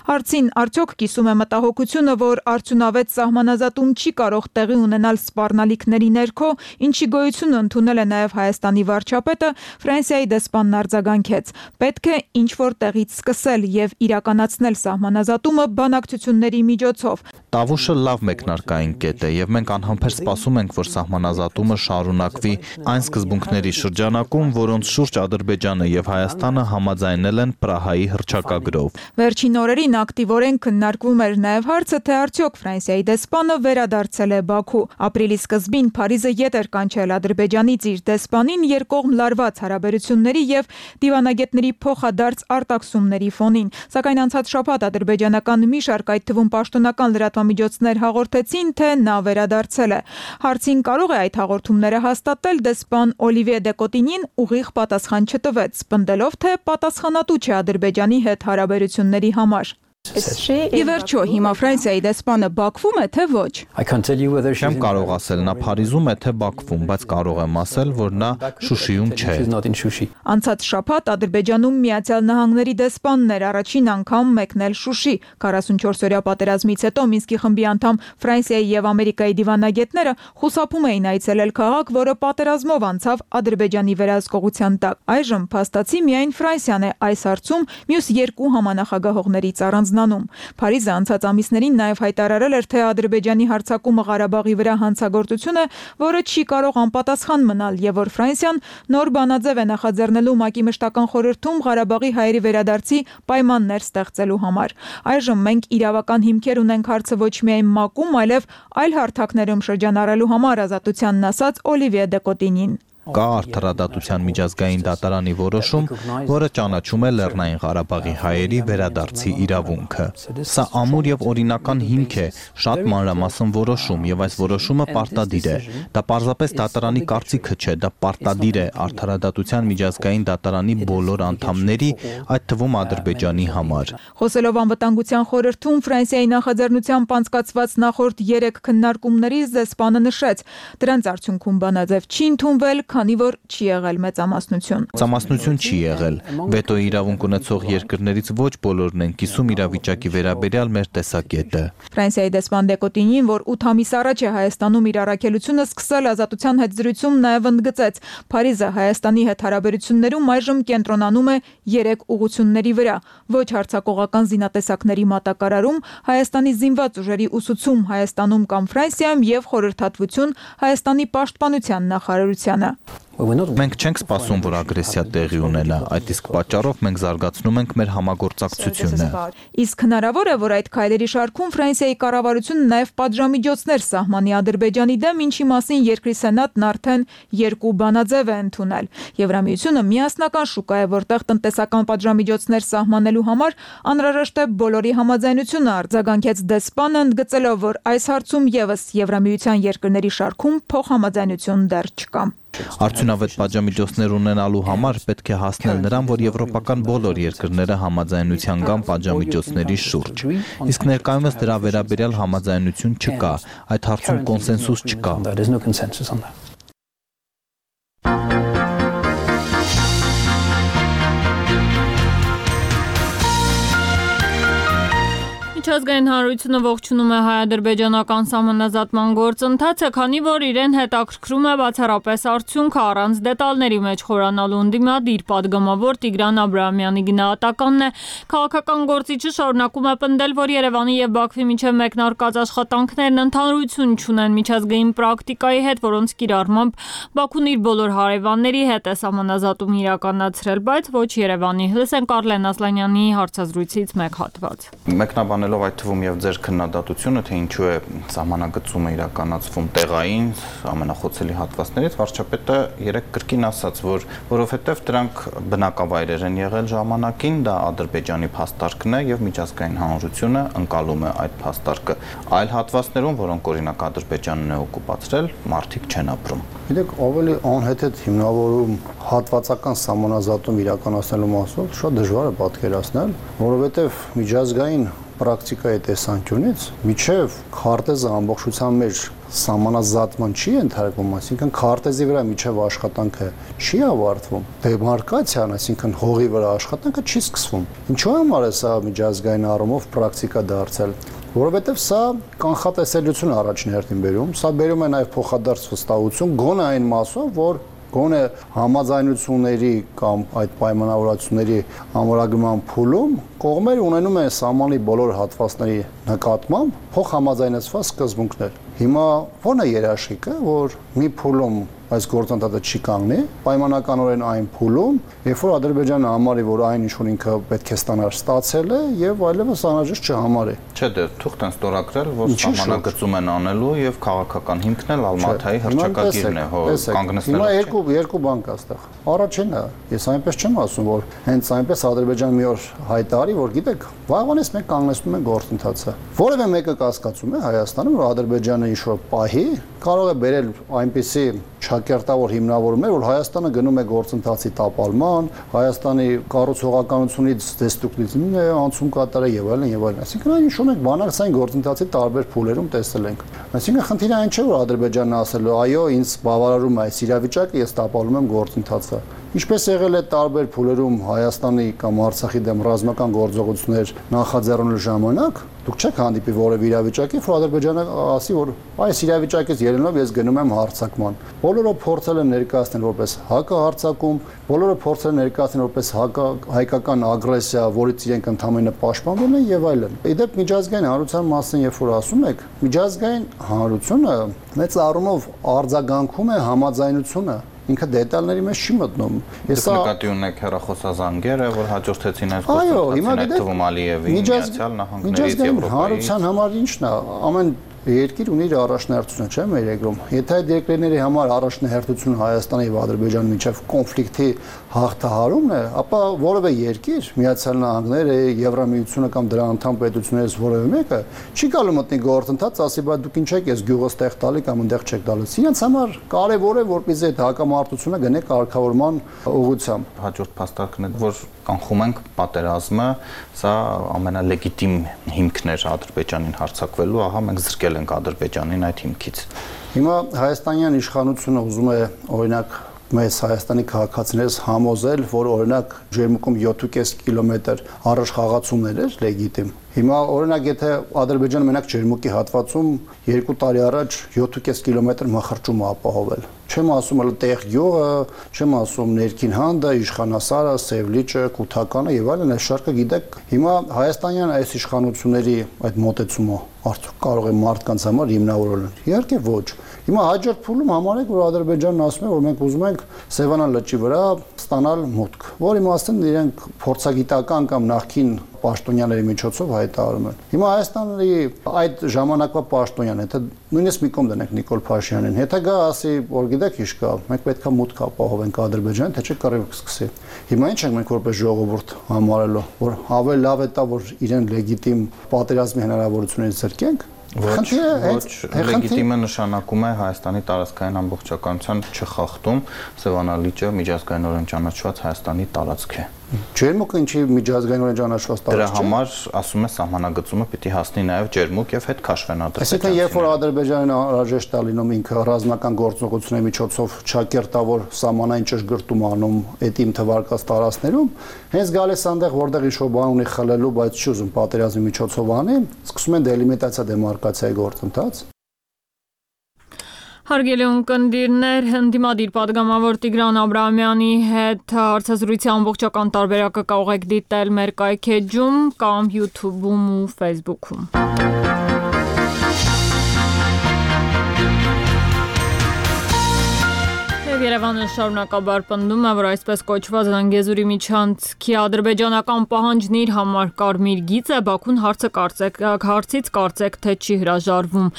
Հարցին արդյոք կիսում է մտահոգությունը, որ արդյունավետ սահմանազատում չի կարող տեղի ունենալ սպառնալիքների ներքո, ինչի գոյությունը ընդունել է նաև Հայաստանի վարչապետը, Ֆրանսիայի դեսպանն արձագանքեց. պետք է ինչ-որ տեղից սկսել եւ իրականացնել սահմանազատումը բանակցությունների միջոցով։ Տավուշը լավ մեկնարկային կետ է եւ մենք անհամբեր սպասում ենք, որ սահմանազատումը շարունակվի այն սկզբունքների շրջանակում, որոնց շուրջ Ադրբեջանը եւ Հայաստանը համաձայնել են Պրահայի հռչակագրով։ Վերջին օրերին ակտիվորեն քննարկվում էր նաև հարցը, թե արդյոք Ֆրանսիայի դեսպանը վերադարձել է Բաքու։ Ապրիլի սկզբին Փարիզը ետ էր կանչել Ադրբեջանից իր դեսպանին երկկողմ լարված հարաբերությունների եւ դիվանագետների փոխադարձ արտաքսումների ֆոնին։ Սակայն անցած շաբաթ ադրբեջանական մի շարք, այդ թվում պաշտոնական լրատվամիջոցներ հաղորդեցին, թե նա վերադարձել է։ Հարցին կարող է այդ հաղորդումները հաստատել դեսպան Օլիվիե դե Կոտինին ուղիղ պատասխան չտվեց, պնդելով, թե պատասխանատու չէ Ադրբեջանի հետ հարաբերությունների համար։ Ի վերջո, հիմա Ֆրանսիայի դեսպանը Բաքվում է, թե ոչ։ Չեմ կարող ասել նա Փարիզում է, թե Բաքվում, բայց կարող եմ ասել, որ նա Շուշիում չէ։ Անցած շաբաթ Ադրբեջանում Միացյալ Նահանգների դեսպանն էր առաջին անգամ մեկնել Շուշի։ քառասունչորսօրյա պատերազմից հետո Մինսկի խմբի անդամ Ֆրանսիայի եւ Ամերիկայի դիվանագետները խուսափում էին այցելել քաղաք, որը պատերազմով անցավ Ադրբեջանի վերահսկողության տակ։ Այժմ փաստացի միայն Ֆրանսիան է այս հարցում մյուս երկու համանախագահողներից առանձնանում։ Փարիզը անցած ամիսներին նաև հայտարարել էր, թե Ադրբեջանի հարձակումը Ղարաբաղի վրա հանցագործություն է, որը չի կարող անպատասխան մնալ, եւ որ Ֆրանսիան նոր բանաձև է նախաձեռնելու ՄԱԿ-ի մշտական խորհրդում Ղարաբաղի հայերի վերադարձի պայմաններ ստեղծելու համար։ Այժմ մենք իրավական հիմքեր ունենք հարցը ոչ միայն ՄԱԿ-ում, այլև այլ հարթակներում շրջանառելու համար, ազատությանն ասաց Օլիվիե դե Կոտինին։ Կա արդարադատության միջազգային դատարանի որոշում, որը ճանաչում է Լեռնային Ղարաբաղի հայերի վերադարձի իրավունքը։ Սա ամուր եւ օրինական հիմք է, շատ մանրամասն որոշում, եւ այս որոշումը պարտադիր է։ Դա պարզապես դատարանի կարծիքը չէ, դա պարտադիր է արդարադատության միջազգային դատարանի բոլոր անդամների, այդ թվում Ադրբեջանի համար։ Խոսելով անվտանգության խորհրդում Ֆրանսիայի նախաձեռնությամբ անցկացված նախորդ երեք քննարկումներից դեսպանը նշեց, դրանց արդյունքում բանաձև չի ընդունվել, քանի որ չի եղել մեծամասնություն։ Մեծամասնություն չի եղել։ Վետոյի իրավունք ունեցող երկրներից ոչ բոլորն են կիսում իրավիճակի վերաբերյալ մեր տեսակետը։ Ֆրանսիայի դեսպան դե Կոտինին, որ ութ ամիս առաջ է Հայաստանում իր առաքելությունը սկսել, ազատության հետ զրույցում նաև ընդգծեց. Փարիզը Հայաստանի հետ հարաբերություններում այժմ կենտրոնանում է երեք ուղղությունների վրա՝ ոչ հարձակողական զինատեսակների մատակարարում, Հայաստանի զինված ուժերի ուսուցում Հայաստանում կամ Ֆրանսիայում եւ խորհրդատվություն Հայաստանի պաշտպանության նախարարությանը։ Մենք չենք սպասում, որ ագրեսիա տեղի ունենա, այդ իսկ պատճառով մենք զարգացնում ենք մեր համագործակցությունը։ Իսկ հնարավոր է, որ այդ քայլերի շարքում Ֆրանսիայի կառավարությունը նաև պատժամիջոցներ սահմանի Ադրբեջանի դեմ, ինչի մասին երկրի սենատն արդեն երկու բանաձև է ընդունել։ Եվրամիությունը միասնական շուկա է, որտեղ տնտեսական պատժամիջոցներ սահմանելու համար անհրաժեշտ է բոլորի համաձայնությունը, արձագանքեց դեսպանը, ընդգծելով, որ այս հարցում եւս Եվրամիության երկրների շարքում փոխհամաձայնություն դեռ չկա։ Արդյունավետ պատժամիջոցներ ունենալու համար պետք է հասնել նրան, որ եվրոպական բոլոր երկրները համաձայնության կան պատժամիջոցների շուրջ։ Իսկ ներկայումս դրա վերաբերյալ համաձայնություն չկա, այդ հարցում կոնսենսուս չկա։ Միջազգային հանրությունը ողջունում է հայ-ադրբեջանական սահմանազատման գործընթացը, քանի որ իրեն հետաքրքրում է բացառապես արդյունքը առանց դետալների մեջ խորանալու ընդդիմադիր պատգամավոր Տիգրան Աբրահամյանի գնահատականն է։ Քաղաքական գործիչը շարունակում է պնդել, որ Երևանի եւ Բաքվի միջև մեկնարկած աշխատանքներն ընդհանրություն չունեն միջազգային պրակտիկայի հետ, որոնց կիրառմամբ Բաքուն իր բոլոր հարևանների հետ է սահմանազատում իրականացրել, բայց ոչ Երևանի։ Լսենք Արլեն Ասլանյանի հարցազրույցից մեկ հատված։ Մեկնաբանելով այդ թվում եւ ձեր քննադատությունը, թե ինչու է սահմանագծումը իրականացվում տեղային ամենախոցելի հատվածներից, վարչապետը երեք կրկին ասաց, որ որովհետեւ դրանք բնակավայրեր են եղել ժամանակին, դա Ադրբեջանի փաստարկն է եւ միջազգային հանրությունը ընկալում է այդ փաստարկը։ Այլ հատվածներում, որոնք օրինակ Ադրբեջանն է օկուպացրել, մարդիկ չեն ապրում։ Գիտեք, ավելի անհեթեթ հիմնավորում հատվածական սահմանազատում իրականացնելու մասով շատ դժվար է պատկերացնել, որովհետեւ միջազգային պրակտիկայի տեսանկյունից միջև քարտեզը ամբողջությամբ մեր սահմանազատման չի ենթարկվում, այսինքն քարտեզի վրա միջև աշխատանքը չի ավարտվում, դեմարկացիան, այսինքն հողի վրա աշխատանքը չի սկսվում։ Ինչու համար է սա միջազգային առումով պրակտիկա դարձել, որովհետև սա կանխատեսելիություն առաջին հերթին բերում, սա բերում է նաև փոխադարձ վստահություն գոնե այն մասով, որ գոնե համաձայնությունների կամ այդ պայմանավորվածությունների ամրագրման փուլում կողմերը ունենում են սահմանի բոլոր հատվածների նկատմամբ փոխհամաձայնեցված սկզբունքներ։ Հիմա ո՞րն է երաշխիքը, որ մի փուլում այս գործընթացը չի կանգնի, պայմանականորեն այն փուլում, երբ որ Ադրբեջանը համարի, որ այն ինչ որ ինքը պետք է ստանար, ստացել է եւ այլևս անհրաժեշտ չհամարի։ Չէ, դե թուղթ են ստորագրել, որ սահմանագծում են անելու եւ քաղաքական հիմքն էլ Ալմաթայի հռչակագիրն է, հո կանգնեցնել։ Հիմա երկու երկու բան կա այստեղ։ Առաջինը, ես այնպես չեմ ասում, որ հենց այնպես Ադրբեջանը մի օր հայտարարի, որ գիտեք, վաղվանից մենք կանգնեցնում ենք գործընթացը։ Որևէ մեկը կասկածում է Հայաստանում, որ Ադրբեջանը ինչ որ պահի կարող է բերել այնպիսի ճակերտավոր հիմնավորումներ, որ Հայաստանը գնում է գործընթացի տապալման, Հայաստանի կառուցողականությունից դեստրուկտիվն է անցում կատարել եւ այլն եւ այլն։ Այսինքն այն ինչ մենք բանակցային գործընթացի տարբեր փուլերում տեսել ենք։ Այսինքն խնդիրը այն չէ, որ Ադրբեջանն ասել է, այո, ինձ բավարարում է այս իրավիճակը, ես տապալում եմ գործընթացը։ Ինչպես եղել է տարբեր փուլերում Հայաստանի կամ Արցախի դեմ ռազմական գործողություններ նախաձեռնելու ժամանակ, դուք չեք հանդիպի որևէ իրավիճակի, որ Ադրբեջանը ասի, որ այս իրավիճակից ելնելով ես գնում եմ հարձակման։ Բոլորը փորձել են ներկայացնել որպես հակահարձակում, բոլորը փորձել են ներկայացնել որպես հայկական ագրեսիա, որից իրենք ընդհանրապես պաշտպանվում են եւ այլն։ Իդեպ միջազգային հանրության մասին երբ որ ասում եք, միջազգային հանրությունը մեծ առումով արձագանքում է համաձայնությունը ինքը դետալների մեջ չի մտնում։ Ես նկատի ունեք հեռախոսազանգերը, որ հաջորդեցին այս գործընթացին թվում Ալիևի Միացյալ Նահանգներից Եվրոպայի։ Հանրության համար ի՞նչն է, ամեն երկիր ունի իր առաջնահերթությունը, չէ՞ մեր երկրում։ Եթե այդ երկրների համար առաջնահերթությունը Հայաստանի եւ Ադրբեջանի միջև կոնֆլիկտի հաղթահարումն է, ապա որևէ երկիր, Միացյալ Նահանգները, Եվրամիությունը կամ դրա անդամ պետություններից որևէ մեկը չի գալու մտնի գործընթաց, ասի, բայց դուք ինչ եք, ես գյուղը ստեղ տալի կամ այնտեղ չեք տալիս։ Իրենց համար կարևոր է, որպեսզի այդ հակամարտությունը գնե կարգավորման ուղղությամբ։ Հաջորդ փաստարկն է, որ կանխում ենք պատերազմը, սա ամենալեգիտիմ հիմքն էր Ադրբեջանին հարձակվելու, ահա մենք զրկել ենք Ադրբեջանին այդ հիմքից։ Հիմա հայաստանյան իշխանությունը ուզում է օրինակ մեծ Հայաստանի քաղաքացիներից համոզել, որ օրինակ ջերմուկում յոթ կես կիլոմետր առաջ խաղացումներ էր լեգիտիմ։ Հիմա օրինակ եթե Ադրբեջանը մենակ ջերմուկի հատվածում երկու տարի առաջ յոթ կես կիլոմետր մխրճում է ապահովել։ Չեմ ասում էլ տեղ գյուղը, չեմ ասում ներքին հանդը, իշխանասարը, Սևլիճը, Կութականը եւ այլն, այս շարքը գիտեք, հիմա հայաստանյան այս իշխանությունների այդ մոտեցումը արդյոք կարող է մարդկանց համար հիմնավորել։ Իհարկե ոչ։ Հիմա հաջորդ փուլում համարեք, որ Ադրբեջանն ասում է, որ մենք ուզում ենք Սևանան լճի վրա ստանալ մուտք, որի մասին իրենք փորձագիտական կամ նախքին պաշտոնյաների միջոցով հայտարարում են։ Հիմա Հայաստանի այդ ժամանակվա պաշտոնյան, եթե նույնիսկ մի կողմ դնենք Նիկոլ Փաշինյանին, եթե գա ասի, որ գիտեք ինչ կա, մենք պետք է մուտք ապահովենք Ադրբեջանին, թե չէ կռիվ կսկսի։ Հիմա ինչ ենք մենք որպես ժողովուրդ համարելու, որ ավելի լավ է տա, որ իրեն լեգիտիմ պատերազմի հնարավորություններից զրկենք։ Ոչ, լեգիտիմը նշանակում է Հայաստանի տարածքային ամբողջականության չխախտում, Սևանալիճը միջազգայինորեն ճանաչված Հայաստանի տարածք է։ Ջերմուկը ինչի միջազգայինորեն ճանաչված տարածք է։ Դրա համար ասում է սահմանագծումը պիտի հասնի նաև ջերմուկ եւ հետ քաշվեն Ադրբեջանը։ Այսինքն երբ որ Ադրբեջանն անհրաժեշտ է լինում ինքը ռազմական գործողությունների միջոցով ճակերտավոր սահմանային ճշգրտում անում էտիմ թվարկած տարածքներում, հենց գալիս այնտեղ որտեղ ինչ-որ բան ունի խլելու, բայց չի ուզում պատերազմի միջոցով անի, սկսում են դելիմիտացիա դեմարկացիայի գործընթաց։ Հարգելի ունկնդիրներ, ընդդիմադիր պատգամավոր Տիգրան Աբրահամյանի հետ հարցազրույցի ամբողջական տարբերակը կարող եք դիտել մեր կայքեջում կամ YouTube-ում ու Facebook-ում։ Երևանը շարունակաբար պնդում է, որ այսպես կոչված Զանգեզուրի միջանցքի ադրբեջանական պահանջն իր համար կարմիր գիծ է, Բաքուն հարցը կարծեք, հարցից կարծեք թե չի հրաժարվում։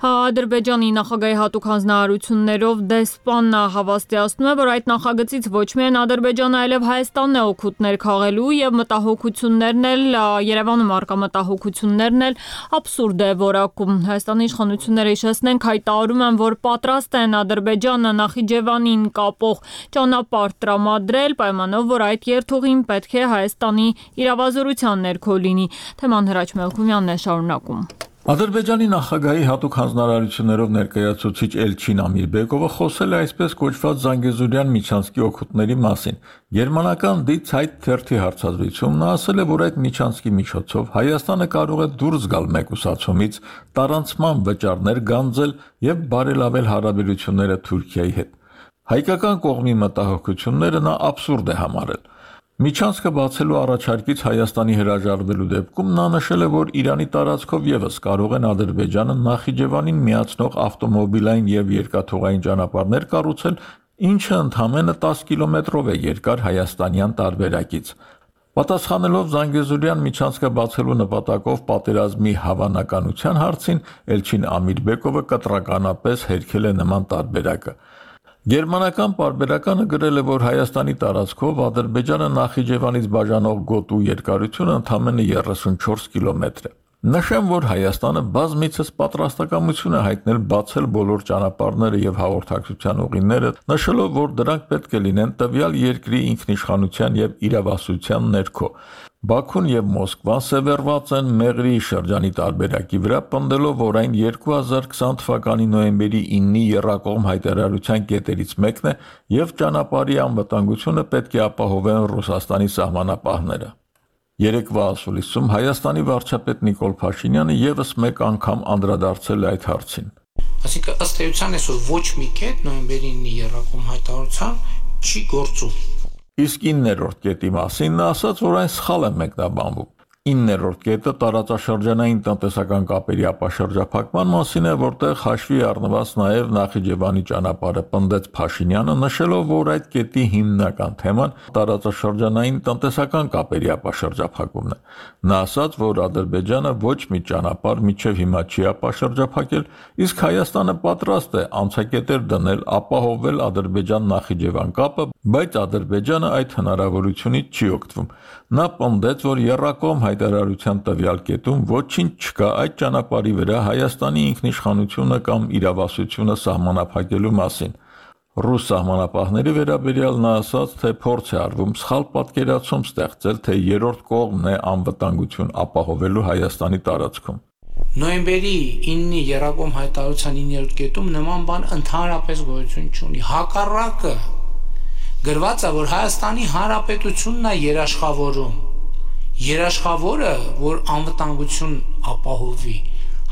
Ադրբեջանի նախագահի հատուկ հանձնարարություններով դեսպանը հավաստիացնում է, որ այդ նախագծից ոչ միայն Ադրբեջանը, այլև Հայաստանն է օգուտներ քաղելու եւ մտահոգություններն էլ Երևանում արկա մտահոգություններն էլ абսուրդ է որակում։ Հայաստանի իշխանությունները հիշեցնենք հայտարարում են, որ պատրաստ են Ադրբեջանը Նախիջևան Ադրբեջանին կապող ճանապարհ տրամադրել, պայմանով, որ այդ երթուղին պետք է Հայաստանի իրավազորության ներքո լինի։ Թեման Հրաչ Մելքումյանն է շարունակում։ Ադրբեջանի նախագահի հատուկ հանձնարարություններով ներկայացուցիչ Էլչին Ամիրբեկովը խոսել է այսպես կոչված Զանգեզուրյան միջանցքի օգուտների մասին։ Գերմանական Die Zeit թերթի հարցազրույցում նա ասել է, որ այդ միջանցքի միջոցով Հայաստանը կարող է դուրս գալ մեկուսացումից, տարանցման վճարներ գանձել եւ բարելավել հարաբերությունները Թուրքիայի հետ։ Հայկական կողմի մտահոգությունները նա աբսուրդ է համարել։ Միջանցքը բացելու առաջարկից Հայաստանի հրաժարվելու դեպքում նա նշել է, որ Իրանի տարածքով եւս կարող են Ադրբեջանը Նախիջևանին միացնող ավտոմոբիլային եւ երկաթուղային ճանապարհներ կառուցել, ինչը ընդամենը տասը կիլոմետրով է երկար հայաստանյան տարբերակից։ Պատասխանելով Զանգեզուրյան միջանցքը բացելու նպատակով պատերազմի հավանականության հարցին, Էլչին Ամիրբեկովը կտրականապես հերքել է նման տարբերակը։ Գերմանական պարբերականը գրել է, որ Հայաստանի տարածքով Ադրբեջանը Նախիջևանից բաժանող գոտու երկարությունը ընդամենը երեսունչորս կիլոմետր է։ Նշեմ, որ Հայաստանը բազմիցս պատրաստակամություն է հայտնել բացել բոլոր ճանապարհները եւ հաղորդակցության ուղիները, նշելով, որ դրանք պետք է լինեն տվյալ երկրի ինքնիշխանության եւ իրավասության ներքո։ Բաքուն եւ Մոսկվան սևեռված են Մեղրի շրջանի տարբերակի վրա, պնդելով, որ այն երկու հազար քսան թվականի նոյեմբերի իննի եռակողմ հայտարարության կետերից մեկն է եւ ճանապարհի անվտանգությունը պետք է ապահովեն Ռուսաստանի սահմանապահները։ Երեկվա ասուլիսում Հայաստանի վարչապետ Նիկոլ Փաշինյանը եւս մեկ անգամ անդրադարձել է այդ հարցին։ Այսինքն ըստ էության այսօր ոչ մի կետ նոյեմբերի իննի եռակողմ հայտարարության չի գործում։ Իսկ իններորդ կետի մասին նա ասաց, որ այն սխալ է մեկնաբանվում։ իններորդ կետը տարածաշրջանային տնտեսական կապերի ապաշրջափակման մասին է, որտեղ հաշվի առնված նաև Նախիջևանի ճանապարհը, պնդեց Փաշինյանը, նշելով, որ այդ կետի հիմնական թեման տարածաշրջանային տնտեսական կապերի ապաշրջափակումն է։ Նա ասաց, որ Ադրբեջանը ոչ մի ճանապարհ մինչև հիմա չի ապաշրջափակել, իսկ Հայաստանը պատրաստ է անցակետեր դնել, ապահովել Ադրբեջան-Նախիջևան կապը, բայց Ադրբեջանը այդ հնարավորությունից չի օգտվում։ Նա պնդեց, որ եռակողմ հայտարարության տվյալ կետում ոչինչ չկա այդ ճանապարհի վրա Հայաստանի ինքնիշխանությունը կամ իրավասությունը սահմանափակելու մասին։ Ռուս սահմանապահների վերաբերյալ նա ասաց, թե փորձ է արվում սխալ պատկերացում ստեղծել, թե երրորդ կողմն է անվտանգություն ապահովելու Հայաստանի տարածքում։ Նոյեմբերի իննի եռակողմ հայտարարության իններորդ կետում նման բան ընդհանրապես գոյություն չունի։ Հակառակը գրված է, որ Հայաստանի Հանրապետությունն է երաշխավորում։ Երաշխավորը, որ անվտանգություն ապահովի,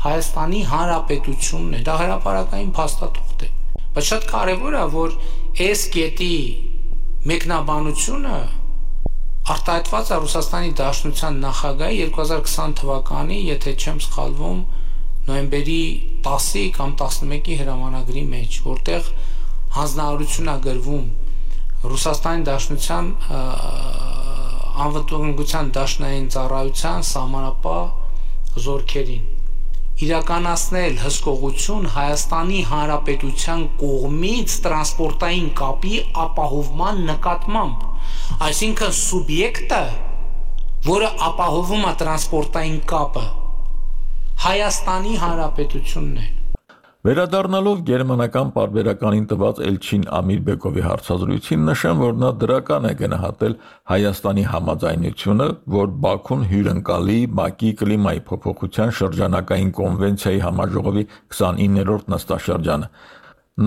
Հայաստանի Հանրապետությունն է, դա հրապարակային փաստաթուղթ է։ Բայց շատ կարևոր է, որ այս կետի մեկնաբանությունը արտահայտված է Ռուսաստանի Դաշնության նախագահի երկու հազար քսան թվականի, եթե չեմ սխալվում, նոյեմբերի տասի կամ տասնմեկի հրամանագրի մեջ, որտեղ հանձնարարություն է գրվում Ռուսաստանի Դաշնության անվտանգության դաշնային ծառայության սահմանապահ զորքերին իրականացնել հսկողություն Հայաստանի Հանրապետության կողմից տրանսպորտային կապի ապահովման նկատմամբ, այսինքն սուբյեկտը, որը ապահովում է տրանսպորտային կապը, Հայաստանի Հանրապետությունն է։ Վերադառնալով գերմանական պարբերականին տված Էլչին Ամիրբեկովի հարցազրույցին, նշեմ, որ նա դրական է գնահատել Հայաստանի համաձայնությունը, որ Բաքուն հյուրընկալի ՄԱԿ-ի կլիմայի փոփոխության շրջանակային կոնվենցիայի համաժողովի քսանիններորդ նստաշրջանը։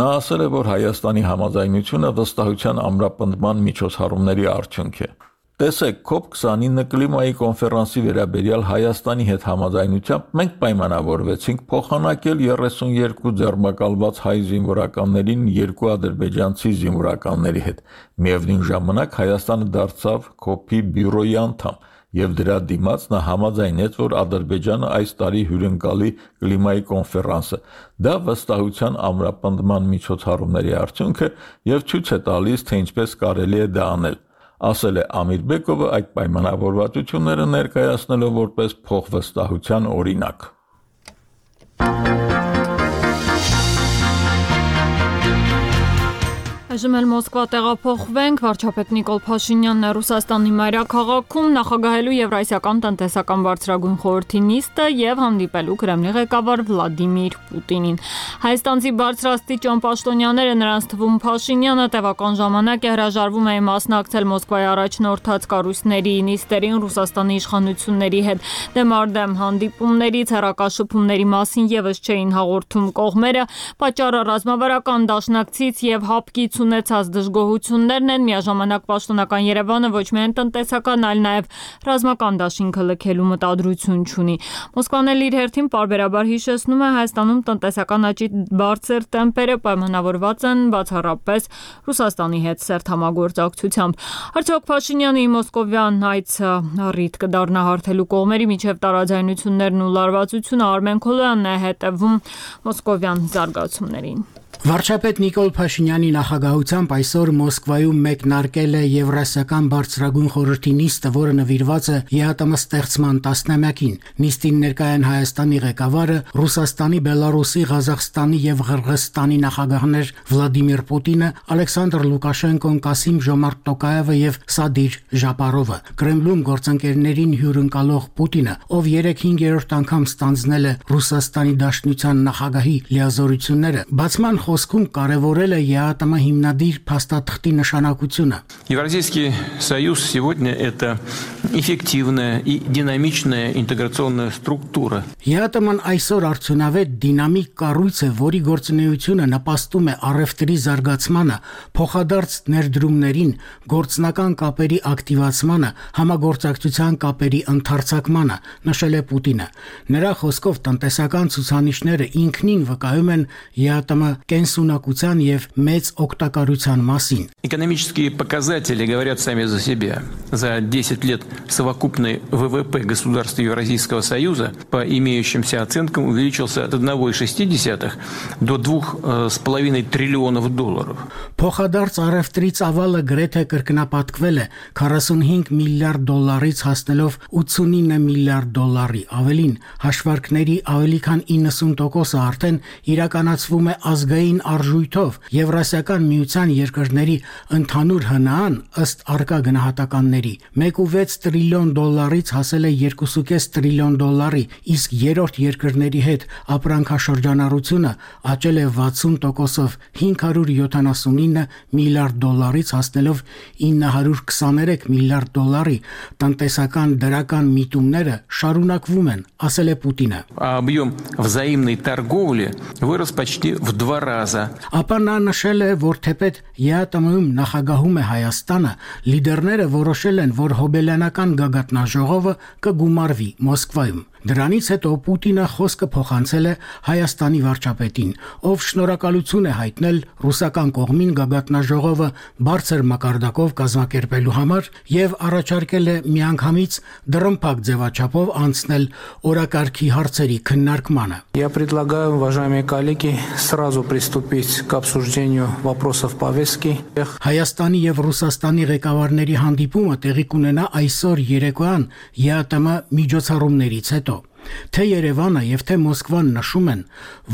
Նա ասել է, որ Հայաստանի համաձայնությունը վստահության ամրապնդման միջոցառումների արդյունք է։ Տեսեք, կոպ քսանինը կլիմայի կոնֆերանսի վերաբերյալ Հայաստանի հետ համաձայնությամբ մենք պայմանավորվեցինք փոխանակել երեսունյոթ ձեռնարկալված հայ զինվորականներին երկու ադրբեջանցի զինվորականների հետ։ Միևնույն ժամանակ Հայաստանը դարձավ կոպի բյուրոյի անդամ, եւ դրա դիմաց նա համաձայնեց, որ Ադրբեջանը այս տարի հյուրընկալի կլիմայի կոնֆերանսը։ Դա վստահության ամրապնդման միջոցառումների արդյունք է եւ ցույց է տալիս, թե ինչպես կարելի է դա անել, ասել է Ամիրբեկովը այդ պայմանավորվածությունները ներկայացնելով որպես փոխվստահության օրինակ։ Այժմ էլ Մոսկվա տեղափոխվենք, վարչապետ Նիկոլ Փաշինյանն է Ռուսաստանի մայրաքաղաքում նախագահելու Եվրասիական տնտեսական բարձրագույն խորհրդի նիստը եւ հանդիպելու Կրեմլի ղեկավար Վլադիմիր Պուտինին։ Հայաստանցի բարձրաստիճան պաշտոնյաները, նրանց թվում Փաշինյանը, տևական ժամանակ է հրաժարվում էին մասնակցել Մոսկվայի առաջնորդած կառույցների նիստերին Ռուսաստանի իշխանությունների հետ։ Դեմարդեմ հանդիպումներից հեռակաշփումների մասին եւս չէին հաղորդում կողմերը, պատճառը ռազմավարական դաշնակցից եւ հապկից ունեցած դժգոհություններն են, միաժամանակ պաշտոնական Երևանը ոչ միայն տնտեսական, այլ նաև ռազմական դաշինքը լքելու մտադրություն չունի։ Մոսկվան էլ իր հերթին պարբերաբար հիշեցնում է Հայաստանում տնտեսական աճի բարձր տեմպերը պայմանավորված են բացառապես Ռուսաստանի հետ սերտ համագործակցությամբ։ Արդյոք Փաշինյանի մոսկովյան այցը առիթ կդառնա հարթելու կողմերի միջև տարաձայնություններն ու լարվածությունը? Արմեն Քոլոյանն է հետևում մոսկովյան զարգացումներին։ Վարչապետ Նիկոլ Փաշինյանի նախագահությամբ այսօր Մոսկվայում մեկնարկել է Եվրասիական բարձրագույն խորհրդի նիստը, որը նվիրված է ԵԱՏՄ ստեղծման տասնամյակին։ Նիստին ներկայ են Հայաստանի ղեկավարը, Ռուսաստանի, Բելարուսի, Ղազախստանի եւ Ղրղըզստանի նախագահներ Վլադիմիր Պուտինը, Ալեքսանդր Լուկաշենկոն, Կասիմ Ժոմարտ Տոկաևը եւ Սադիր Ժապարովը։ Կրեմլում գործընկերներին հյուրընկալող Պուտինը, ով երեք-հինգերորդ անգամ ստանձնել է Ռուսաստանի Դաշնության նախագահի լիազորությունները, բացման խոսքում կարևորել է ԵԱՏՄ հիմնադիր փաստաթղթի նշանակությունը։ Евразийский союз сегодня это эффективная и динамичная интеграционная структура. ԵԱՏՄ-ն այսօր արդյունավետ դինամիկ կառույց է, որի գործունեությունը նպաստում է առևտրի զարգացմանը, փոխադարձ ներդրումներին, գործնական կապերի ակտիվացմանը, համագործակցության կապերի ընդարձակմանը, նշել է Պուտինը։ Նրա խոսքով տնտեսական ցուցանիշները ինքնին վկայում են ԵԱՏՄ կենսունակության եւ մեծ օգտակարության մասին։ Экономические показатели говорят сами за себя. За десять лет совокупный ВВП государств Евразийского союза по имеющимся оценкам увеличился от одного целых шести десятых до двух с половиной триллионов долларов. Փոխադարձ առևտրի ծավալը գրեթե կրկնապատկվել է քառասունհինգ միլիարդ դոլարից հասնելով ութսունինը միլիարդ դոլարի։ Ավելին, հաշվարկների ավելի քան իննսուն տոկոսը արդեն իրականացվում է ազգային արժույթով։ Եվրասիական միության երկրների ընդհանուր հնան ըստ արկա գնահատականների մեկ կόμμα վեց տրիլիոն դոլարից հասել է երկու կόμμα պենս տրիլիոն դոլարի, իսկ երրորդ երկրների հետ ապրանքաշրջանառությունը աճել է վաթսուն տոկոսով հինգ հարյուր յոթանասունինը միլիարդ դոլարից հասնելով ինը հարյուր քսաներեք միլիարդ դոլարի։ Տնտեսական դրական միտումները շարունակվում են, ասել է Պուտինը։ Объем взаимной торговли вырос почти в два раза. Ապա նա նշել է, որ թեպետ ԵԱՏՄ-ում նախագահում է Հայաստանը, լիդերները որոշել են, որ հոբելյանական գագաթնաժողովը կգումարվի Մոսկվայում։ Դրանից հետո Պուտինը խոսքը փոխանցել է Հայաստանի վարչապետին, ով շնորհակալություն է հայտնել ռուսական կողմին գագաթնաժողովը բարձր մակարդակով կազմակերպելու համար եւ առաջարկել է միանգամից դռնփակ ձևաչափով անցնել օրակարգի հարցերի քննարկմանը։ Я предлагаю, уважаемые коллеги, сразу приступить к обсуждению вопросов повестки. Հայաստանի եւ Ռուսաստանի ղեկավարների հանդիպումը տեղի կունենա այսօր երեկոյան ԵԱՏՄ միջոցառումներից հետո։ Թե Երևանը եւ թե Մոսկվան նշում են,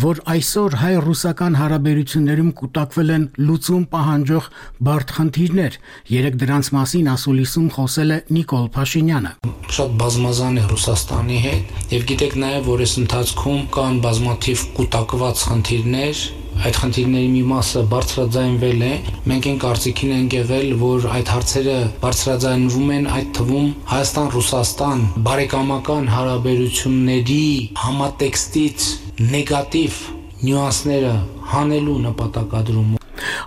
որ այսօր հայ-ռուսական հարաբերություններում կուտակվել են լուծում պահանջող բարդ խնդիրներ։ Երեք դրանց մասին ասուլիսում խոսել է Նիկոլ Փաշինյանը։ Շատ բազմազան է Ռուսաստանի հետ եւ գիտեք նաեւ, որ այս ընթացքում կան բազմաթիվ կուտակված խնդիրներ։ Այդ խնդիրների մի մասը բարձրաձայնվել է։ Մենք այն կարծիքին ենք եղել, որ այդ հարցերը բարձրաձայնվում են, այդ թվում Հայաստան-Ռուսաստան բարեկամական հարաբերությունների համատեքստից նեգատիվ նյուանսները հանելու նպատակադրում։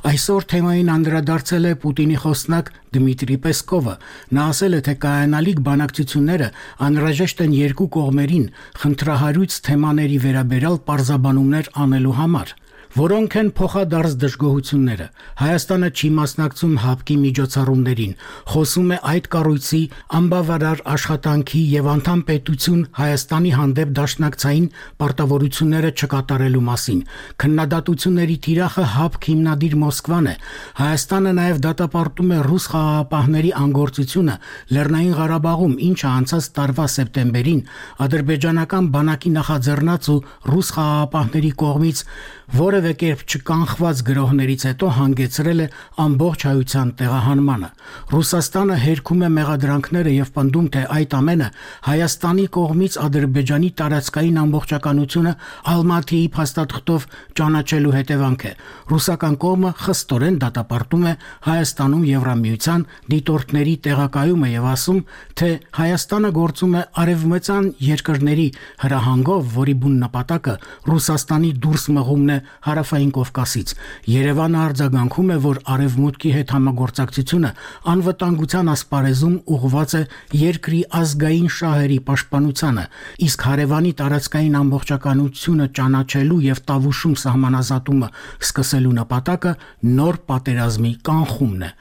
Այսօր թեմային անդրադարձել է Պուտինի խոսնակ Դմիտրի Պեսկովը։ Նա ասել է, թե կայանալիք բանակցությունները անհրաժեշտ են երկու կողմերին խնդրահարույց թեմաների վերաբերյալ պարզաբանումներ անելու համար, որոնք են փոխադարձ դժգոհությունները։ Հայաստանը չի մասնակցում հապկի միջոցառումներին, խոսում է այդ կառույցի անբավարար աշխատանքի եւ անդամ պետություն Հայաստանի հանդեպ դաշնակցային պարտավորությունները չկատարելու մասին։ Քննադատությունների թիրախը հապկ հիմնադիր Մոսկվան է։ Հայաստանը նաեւ դատապարտում է ռուս խաղաղապահների անգործությունը Լեռնային Ղարաբաղում, ինչը անցած տարվա սեպտեմբերին ադրբեջանական բանակի նախաձեռնած ու ռուս խաղաղապահների կողմից որևէ որևէ կերպ չկանխված գրոհներից հետո հանգեցրել է ամբողջ հայության տեղահանմանը։ Ռուսաստանը հերքում է մեղադրանքները եւ պնդում, թե այդ ամենը Հայաստանի կողմից Ադրբեջանի տարածքային ամբողջականությունը Ալմատիի փաստաթղթով ճանաչելու հետևանք է։ Ռուսական կողմը խստորեն դատապարտում է Հայաստանում Եվրամիության դիտորդների տեղակայումը եւ ասում, թե Հայաստանը գործում է արևմտյան երկրների հրահանգով, որի բուն նպատակը Ռուսաստանի դուրս մղումն է Հարավային Կովկասից։ Երևանը արձագանքում է, որ արևմուտքի հետ համագործակցությունը անվտանգության ասպարեզում ուղղված է երկրի ազգային շահերի պաշտպանությանը, իսկ հարևանի տարածքային ամբողջականությունը ճանաչելու եւ Տավուշում սահմանազատումը սկսելու նպատակը նոր պատերազմի կանխումն է։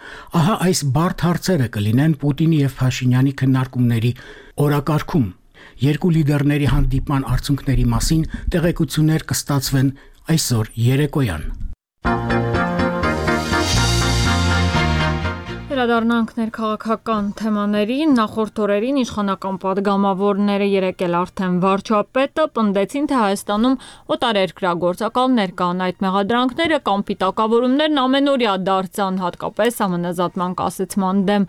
Ահա այս բարդ հարցերը կլինեն Պուտինի եւ Փաշինյանի քննարկումների օրակարգում։ Երկու լիդերների հանդիպման արդյունքների մասին տեղեկություններ կստացվեն այսօր երեկոյան։ Վերադառնանք ներքաղաքական թեմաներին, նախորդ օրերին իշխանական պատգամավորները եկել արդեն վարչապետը պնդեցին, թե Հայաստանում օտարերկրագործակալներ կան, այդ մեղադրանքները կամ պիտակավորումներն ամենօրյա դարձան, հատկապես համանազատման կասեցման դեմ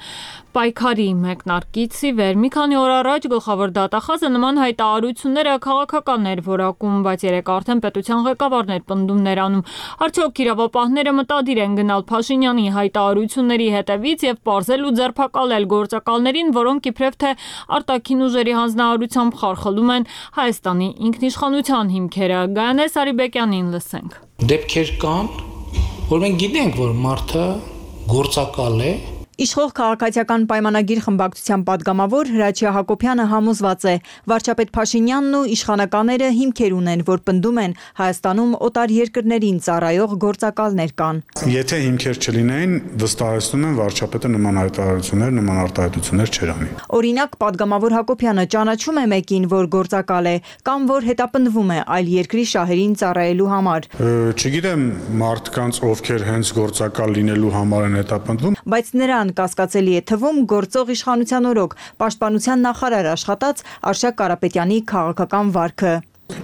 պայքարի մեկնարկից ի վեր։ Մի քանի օր առաջ գլխավոր դատախազը նման հայտարարությունները քաղաքական էր որակում, բայց երեք արդեն պետության ղեկավարներ պնդումներ անում։ Արդյոք իրավապահները մտադիր են գնալ Փաշինյանի հայտարարությունների հետևից եւ պարզել ու ձերբակալել գործակալներին, որոնք իբրև թե արտաքին ուժերի հանձնարարությամբ խարխլում են Հայաստանի ինքնիշխանության հիմքերը։ Գայանե Սարիբեկյանին լսենք։ Դեպքեր կան, որ մենք գիտենք, որ մարդը գործակալ է։ Իշխող քաղաքացիական պայմանագիր խմբակցության падգամավոր Հրաչյա Հակոբյանը համոզված է, վարչապետ Փաշինյանն ու իշխանականները հիմքեր ունեն, որ պնդում են Հայաստանում օտար երկրներին ծառայող գործակալներ կան։ Եթե հիմքեր չլինեին, վստահեցնում եմ վարչապետը նման հայտարարություններ, նման արտահայտություններ չէր անի։ Օրինակ, падգամավոր Հակոբյանը ճանաչում է մեկին, որ գործակալ է, կամ որ հետապնդվում է այլ երկրի շահերին ծառայելու համար։ Չգիտեմ մարդկանց, ովքեր հենց գործակալ լինելու համար են հետապնդվում, բայց նրան կասկածելի է թվում գործող իշխանության օրոք պաշտպանության նախարար աշխատած Արշակ Կարապետյանի քաղաքական վարքը։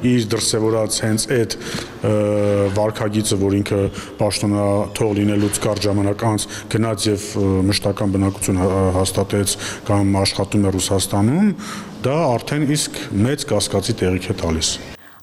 Իր դրսևորած հենց այդ վարքագիծը, որ ինքը պաշտոնաթող լինելուց կարճ ժամանակ անց գնաց եւ մշտական բնակություն հաստատեց կամ աշխատում է Ռուսաստանում, դա արդեն իսկ մեծ կասկածի տեղիք է տալիս։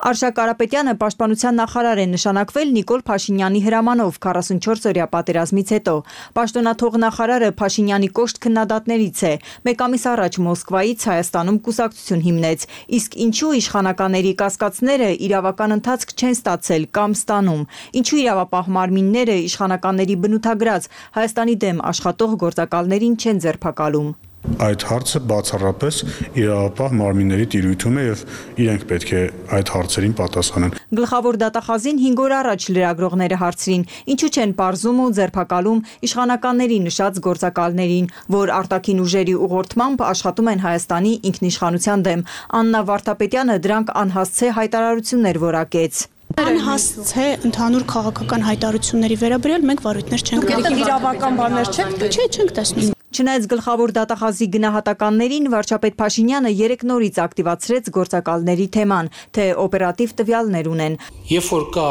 Արշակ Կարապետյանը պաշտպանության նախարար է նշանակվել Նիկոլ Փաշինյանի հրամանով քառասունչորս-օրյա պատերազմից հետո։ Պաշտոնաթող նախարարը Փաշինյանի կոշտ քննադատներից է։ Մեկ ամիս առաջ Մոսկվայից Հայաստանում կուսակցություն հիմնեց, իսկ ինչու իշխանականների կասկածները իրավական ընթացք չեն ստացել կամ ստանում, ինչու իրավապահ մարմինները իշխանականների բնութագրած Հայաստանի դեմ աշխատող գործակալներին չեն ձերբակալում։ Այդ հարցը բացառապես իրավապահ մարմինների տիրույթում է եւ իրենք պետք է այդ հարցերին պատասխանեն։ Գլխավոր դատախազին հինգ օր առաջ լրագրողները հարցրին, ինչու չեն պարզում ու ձերբակալում իշխանականների նշած գործակալներին, որ արտաքին ուժերի ուղղորդմամբ աշխատում են Հայաստանի ինքնիշխանության դեմ։ Աննա Վարդապետյանը դրանք անհասցե հայտարարություններ որակեց։ Անհասցե ընդհանուր քաղաքական հայտարարությունների վերաբերյալ մենք վարույթներ չենք տեսնում։ Իրավական բաներ չեք, չէ, չենք տեսնում։ Չնայած գլխավոր դատախազի գնահատականներին վարչապետ Փաշինյանը երեք նորից ակտիվացրեց գործակալների թեման, թե օպերատիվ տվյալներ ունեն։ Երբ որ կա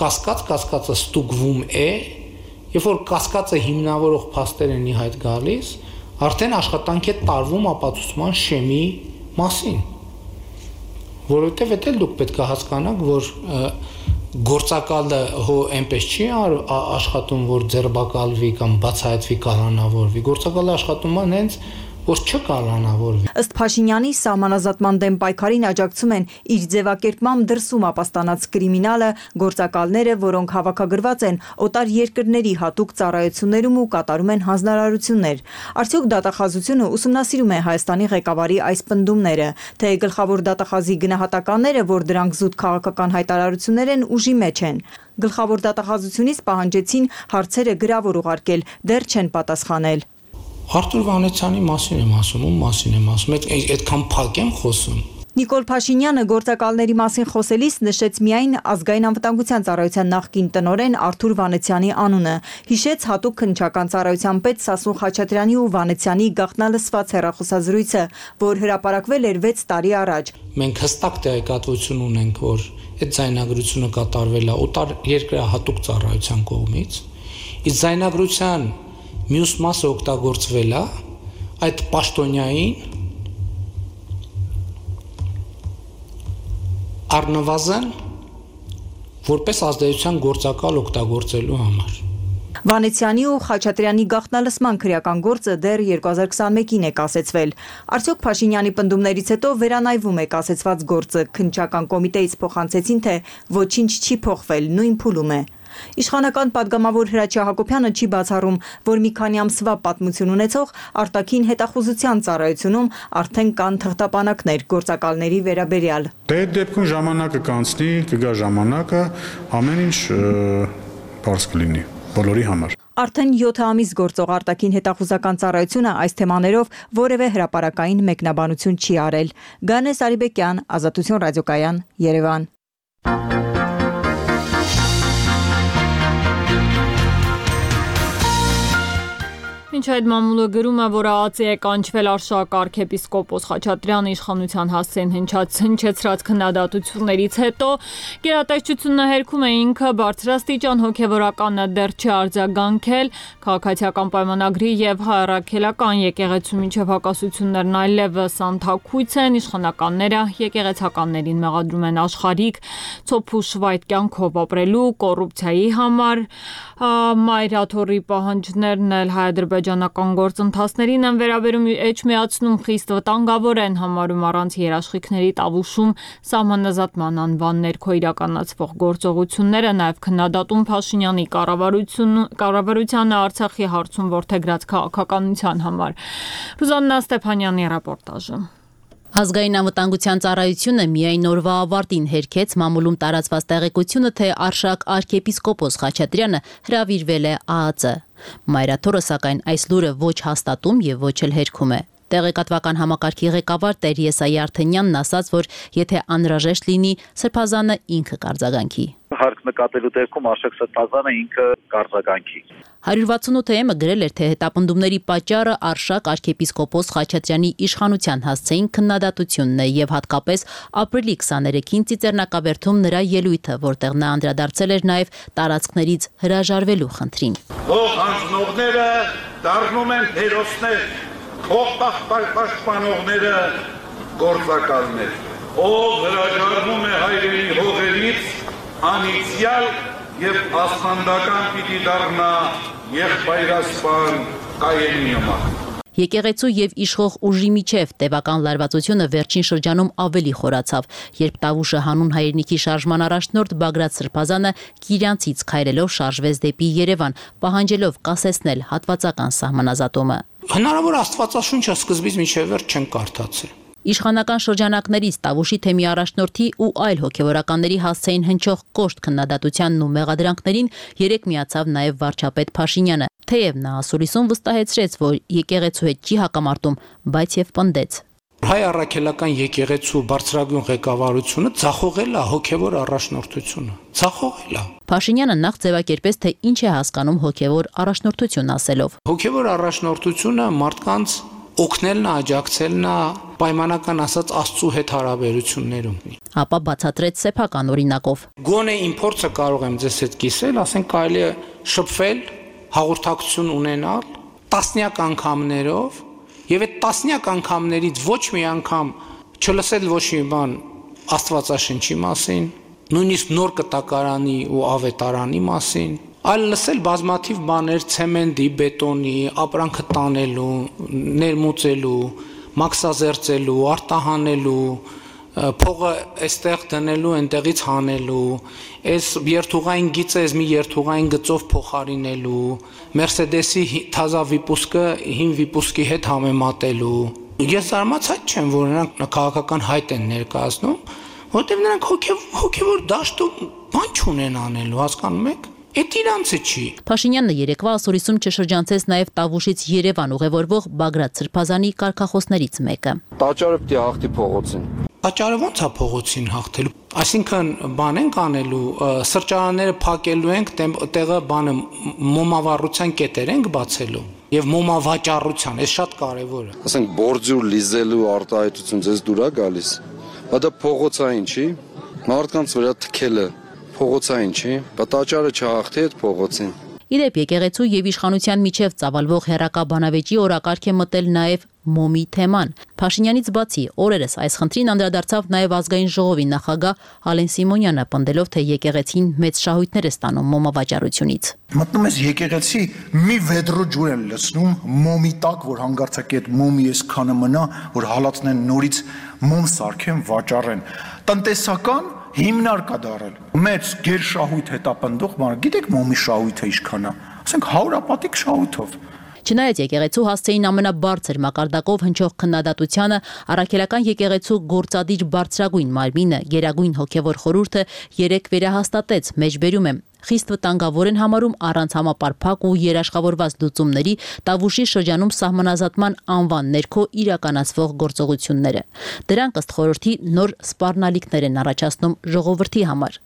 կասկած, կասկածը ստուգվում է, երբ որ կասկածը հիմնավորող փաստեր են ի հայտ գալիս, արդեն աշխատանք է տարվում ապացուցման շեմի մասին։ Որովհետև դա դուք պետք է հասկանաք, որ գործակալը հո այնպես չի աշխատում, որ ձերբակալվի կամ բացահայտվի կալանավորվի։ Գործակալը աշխատում է հենց որ չկալանավորվի։ Ըստ Փաշինյանի սահմանազատման դեմ պայքարին աջակցում են իր ձևակերպմամբ դրսում ապաստանած կրիմինալը, գործակալները, որոնք հավաքագրված են օտար երկրների հատուկ ծառայություններում ու կատարում են հանձնարարություններ։ Արդյոք դատախազությունը ուսումնասիրում է Հայաստանի ղեկավարի այս պնդումները, թե գլխավոր դատախազի գնահատականները, որ դրանք զուտ քաղաքական հայտարարություններ են, ուժի մեջ են։ Գլխավոր դատախազությունից պահանջեցին հարցերը գրավոր ուղարկել, դեռ չեն պատասխանել։ Արտուր Վանեցյանի մասին եմ ասում, ում մասին եմ ասում, այդքան փակ եմ խոսում։ Նիկոլ Փաշինյանը գործակալների մասին խոսելիս նշեց միայն ազգային անվտանգության ծառայության նախկին տնօրեն Արթուր Վանեցյանի անունը, հիշեց հատուկ քննչական ծառայության պետ Սասուն Խաչատրյանի ու Վանեցյանի գաղտնալսված հեռախոսազրույցը, որ հրապարակվել էր վեց տարի առաջ։ Մենք հստակ տեղեկատվություն ունենք, որ այդ ձայնագրությունը կատարվել է օտար երկրահատուկ ծառայության կողմից, իսկ ձայնագրության մյուս մասը օգտագործվել է այդ պաշտոնյային առնվազն որպես ազդեցության գործակալ օգտագործելու համար։ Վանեցյանի ու Խաչատրյանի գաղտնալսման քրեական գործը դեռ երկու հազար քսաներկին է կասեցվել։ Արդյոք Փաշինյանի պնդումներից հետո վերանայվում է կասեցված գործը, քննչական կոմիտեից փոխանցեցին, թե ոչինչ չի փոխվել, նույն փուլում է։ Իշխանական падգամավոր Հրաչյա Հակոբյանը չի բացառում, որ մի քանի ամսվա պատմություն ունեցող արտաքին հետախուզության ծառայությունում արդեն կան թղթապանակներ գործակալների վերաբերյալ։ Դե այդ դեպքում ժամանակը կանցնի, կգա ժամանակը, ամեն ինչ բարձ կլինի բոլորի համար։ Արդեն յոթ ամիս գործող արտաքին հետախուզական ծառայությունը այս թեմաներով որևէ հրապարակային մեկնաբանություն չի արել։ Գանես Արիբեկյան, Ազատություն ռադիոկայան, Երևան։ Մինչ այդ մամուլը գրում է, որ ԱԱԾ-ի է կանչվել Արշակ arczepiskopos Խաչատրյանը իշխանության հասցեն հնչեցրած քննադատություններից հետո գերատեսչությունը հերքում է ինքը բարձրաստիճան հոգևորականը դեռ չի արձագանքել, քաղաքացիական պայմանագրի եւ հայրաքելական եկեղեցու միջև հակասություններն այլևս անթաքույց են, իշխանականները եկեղեցականներին մեղադրում են աշխարհիկ ցոփուշվայտ կյանքով ապրելու, կոռուպցիայի համար, մայրաթորի պահանջներն էլ հայ-ադրբեջանական գործընթացներին են վերաբերում էջմիացնում, խիստ վտանգավոր են համարում առանց երաշխիքների տավուշում սահմանազատման անվան ներքո իրականացվող գործողությունները, նաև քննադատում Փաշինյանի կառավարությանը Արցախի հարցում որդեգրած քաղաքականության համար։ Ռուզաննա Ստեփանյանի ռեպորտաժը։ Ազգային անվտանգության ծառայությունը միայն օրվա ավարտին հերքեց մամուլում տարածված տեղեկությունը, թե Արշակ arczepiskopos Խաչատրյանը հրավիրվել է ԱԱԾ։ Մայրաթորը սակայն այս լուրը ոչ հաստատում եւ ոչ էլ հերքում է։ Տեղեկատվական համակարգի ղեկավար Տեր Եսայի Արթենյանն ասաց, որ եթե անհրաժեշտ լինի, Սրբազանը ինքը կարձագանքի։ Հարկ նկատելու դեպքում Արշակ Սրբազանը ինքը կարձագանքի։ հարյուր վաթսունութ-ը գրել էր, թե հետապնդումների պատճառը Արշակ arczepiskopos Խաչատրյանի իշխանության հասցեին քննադատությունն է եւ հատկապես ապրիլի քսաներեքին Ծիծեռնակաբերդում նրա ելույթը, որտեղ նա անդրադարձել էր նաեւ տարածքներից հրաժարվելու խնդրին։ Հող հանձնողները դառնում են հերոսներ, հող պաշտպանողները գործակալներ։ Ով հրաժարվում է հայրենի հողերից, անիցյալ եւ աստանդական պիտի դառնա եղբայրասպան Կայենի նման։ Եկեղեցու եւ իշխող ուժի միջև տևական լարվածությունը վերջին շրջանում ավելի խորացավ, երբ Տավուշը հանուն հայրենիքի շարժման առաջնորդ Բագրատ Սրբազանը Կիրյանցից քայլելով շարժվեց դեպի Երևան, պահանջելով կասեցնել հատվածական սահմանազատումը։ Հնարավոր Աստվածաշունչը սկզբից մինչև վերջ չեն կարդացել։ Իշխանական շրջանակներից Տավուշի թեմի առաջնորդի ու այլ հոգևորականների հասցեին հնչող կոշտ քննադատությանն ու մեղադրանքներին երեք միացավ նաև վարչապետ Փաշինյանը, թեև նա ասուլիսում վստահեցրեց, որ եկեղեցու հետ չի հակամարտում, բայց եւ պնդեց. Հայ առաքելական եկեղեցու բարձրագույն ղեկավարությունը ցախողել է հոգևոր առաջնորդությունը։ Ցախողել է։ Փաշինյանը նախ ձևակերպեց, թե ինչ է հասկանում հոգևոր առաջնորդություն ասելով։ Հոգևոր առաջնորդությունը մարդկանց օգնելն է, աջակցելն է, պայմանական ասած Աստծո հետ հարաբերություններում։ Ապա բացատրեց սեփական օրինակով։ Գոնե իմ փորձը կարող եմ ձեզ հետ կիսել, ասենք կարելի է շփվել, հաղորդակցություն ունենալ տասնյակ անգամներով, եւ այդ տասնյակ անգամներից ոչ մի անգամ չլսել ոչ մի բան Աստվածաշնչի մասին, նույնիսկ նոր կտակարանի ու ավետարանի մասին, այլ լսել բազմաթիվ բաներ ցեմենտի, բետոնի, ապրանքը տանելու, ներմուծելու, մաքսազերծելու, արտահանելու, փողը այստեղ դնելու, այնտեղից հանելու, այս երթուղային գիծը այս մի երթուղային գծով փոխարինելու, Մերսեդեսի թազա վիպուսկը հին վիպուսկի հետ համեմատելու։ Ես զարմացած չեմ, որ նրանք քաղաքական հայտ են ներկայացնում, որտեղ նրանք հոգևոր դաշտում բան չունեն անելու, հասկանում եք։ Էդ իրանցը չի։ Փաշինյանը երեկվա ասորիսում չշրջանցեց նաև Տավուշից Երևան ուղևորվող Բագրատ Սրբազանի կարգախոսներից մեկը։ Տաճարը պիտի հաղթի փողոցին։ Պատճառը ո՞նց է փողոցին հաղթելու։ Այսինքն բան ենք անելու, սրճարանները փակելու ենք, տեղը բանը մոմավառության կետեր ենք բացելու եւ մոմավաճառության, այս շատ կարեւոր է։ Ասենք բորձուր լիզելու արտահայտություն ձեզ դուր է գալիս։ Բայց դա փողոցային չի, մարդկանց վրա թքելը փողոցային չի, պատճառը չհաղթի այդ փողոցին։ Իդեպ եկեղեցու եւ իշխանության միջև ծավալվող հերակա բանավեճի օրակարգ է մտել նաեւ մոմի թեման։ Փաշինյանից բացի օրերս այս խնդրին անդրադարձավ նաեւ ազգային ժողովի նախագահ Ալեն Սիմոնյանը, պնդելով, թե եկեղեցին մեծ շահույթներ է ստանում մոմավաճառությունից։ Մտնում ես եկեղեցի, մի վեդրո ջուր են լցնում մոմի տակ, որ հանգարցակի այդ մոմի այսքանը մնա, որ հալածնեն նորից մոմ սարքեն, վաճառեն։ Տնտեսական հիմնար կա դարել։ Մեծ գերշահույթ հետապնդող բան, գիտեք մոմի շահույթը ինչքան է։ Ասենք հարյուրապատիկ շահույթով։ Չնայած եկեղեցու հասցեին ամենաբարձր մակարդակով հնչող քննադատությանը, առաքելական եկեղեցու գործադիր բարձրագույն մարմինը, Գերագույն հոգևոր խորհուրդը երեկ վերահաստատեց, մեջբերում է, խիստ վտանգավոր են համարում առանց համապարփակ ու երաշխավորված լուծումների Տավուշի շրջանում սահմանազատման անվան ներքո իրականացվող գործողությունները։ Դրանք ըստ խորհրդի նոր սպառնալիքներ են առաջացնում ժողովրդի համար։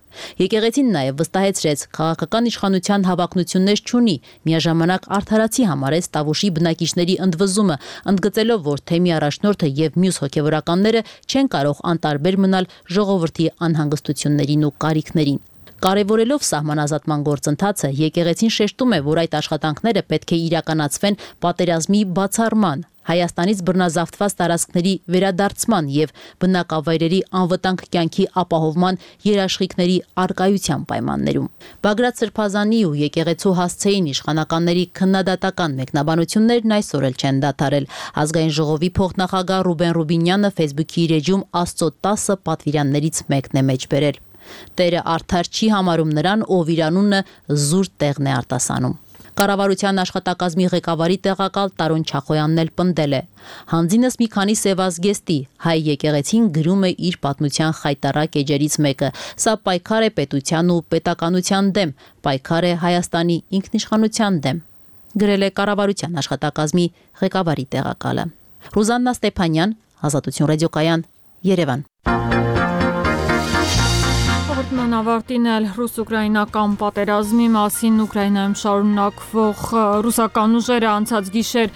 Եկեղեցին նաև վստահեցրեց, քաղաքական իշխանության հավակնություններ չունի, միաժամանակ արդարացի համարեց Տավուշի բնակիչների ընդվզումը, ընդգծելով, որ թեմի առաջնորդը եւ մյուս հոգևորականները չեն կարող անտարբեր մնալ ժողովրդի անհանգստություններին ու կարիքներին։ Կարևորելով սահմանազատման գործընթացը, եկեղեցին շեշտում է, որ այդ աշխատանքները պետք է իրականացվեն պատերազմի բացառման, Հայաստանից բռնազավթված տարածքների վերադարձման եւ բնակավայրերի անվտանգ կյանքի ապահովման երաշխիքների արկայության պայմաններում։ Բագրատ Սրբազանի ու եկեղեցու հասցեին իշխանականների քննադատական մեկնաբանություններն այսօր էլ չեն դադարել։ Ազգային ժողովի փոխնախագահ Ռուբեն Ռուբինյանը Facebook-ի իր էջում Աստծո տասը պատվիրաններից մեկն է մեջբերել։ Տերը արդար չի համարում նրան, ով իր անունը զուր տեղն է արտասանում։ Կառավարության աշխատակազմի ղեկավարի տեղակալ Տարոն Չախոյանն էլ պնդել է. Հանձինս մի քանի սևազգեստի հայ եկեղեցին գրում է իր պատմության խայտառակ էջերից մեկը։ Սա պայքար է պետության ու պետականության դեմ, պայքար է Հայաստանի ինքնիշխանության դեմ, գրել է կառավարության աշխատակազմի ղեկավարի տեղակալը։ Ռուզաննա Ստեփանյան, Ազատություն ռադիոկայան, Երևան։ Հաղորդման ավարտին էլ ռուս-ուկրաինական պատերազմի մասին Ուկրաինայում շարունակվող ռուսական ուժերը անցած գիշեր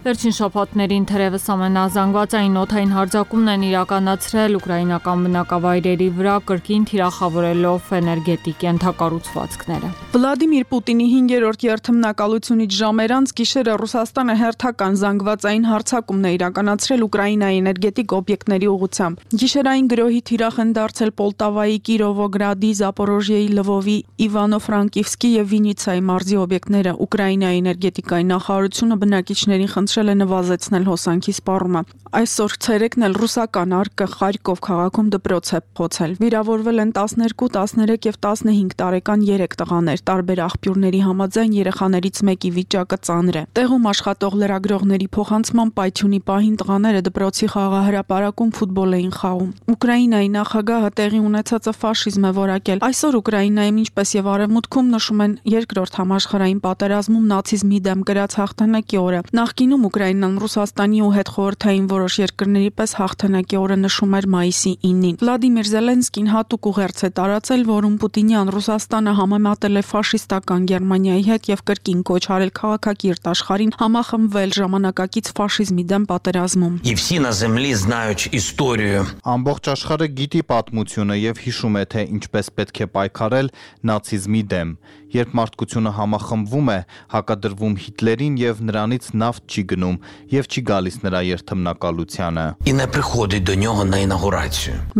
վերջին շաբաթներին թերևս ամենազանգվածային օդային հարձակումն են իրականացրել ուկրաինական բնակավայրերի վրա, կրկին թիրախավորելով էներգետիկ ենթակառուցվածքները։ Վլադիմիր Պուտինի հինգերորդ երթմնակալությունից ժամեր անց գիշերը Ռուսաստանը հերթական զանգվածային հարձակումն է իրականացրել Ուկրաինայի էներգետիկ օբյեկտների ուղղությամբ։ Գիշերային գրոհի թիրախ են դարձել Պոլտավայի, Կիրովոգրադի, Զապորոժիեի, Լվովի, Իվանո-Ֆրանկիվսկի եւ Վինիցայի մարզի օբյեկտները։ Ուկրաինայի էներգետիկայի նախարարությունը բնակիչներին խնդրել է նվազեցնել հոսանքի սպառումը։ Այսօր ցերեկն էլ ռուսական արկը Խարկով քաղաքում դպրոց է փոխել։ Վիրավորվել են տասներկու, տասներեք եւ տասնհինգ տարեկան երեք տղաներ։ Տարբեր աղբյուրների համաձայն երեխաներից մեկի վիճակը ծանր է։ Տեղում աշխատող լրագրողների փոխանցման պայթյունի պահին տղաները դպրոցի խաղահրապարակում ֆուտբոլ էին խաղում։ Ուկրաինայի նախագահը տեղի ունեցածը ֆաշիզմ է որակել։ Այսօր Ուկրաինայում, ինչպես եւ Արևմուտքում, նշում են երկրորդ համաշխարհային պատերազմում նացիզմի դեմ գրած հաղթանակի օրը։ Նախկինում Ուկրաինան Ռուսաստանի ու հետխորհրդային որոշ երկրների պես հաղթանակի օրը նշում էր մայիսի ինին։ Վլադիմիր Զելենսկին հատուկ ուղերձ է տարածել, որում Պուտինյան Ռուսաստանը համեմատել է ֆաշիստական Գերմանիայի հետ եւ կրկին կոչ արել քաղաքակիրթ աշխարհին համախմբվել ժամանակակից ֆաշիզմի դեմ պատերազմում։ Ամբողջ աշխարհը գիտի պատմությունը եւ հիշում է, թե ինչպես պետք է պայքարել նացիզմի դեմ։ Երբ մարդկությունը համախմբվում է, հակադրվում Հիտլերին եւ նրանից նավթ չի գնում եւ չի գալիս նրա երթմնակալությանը։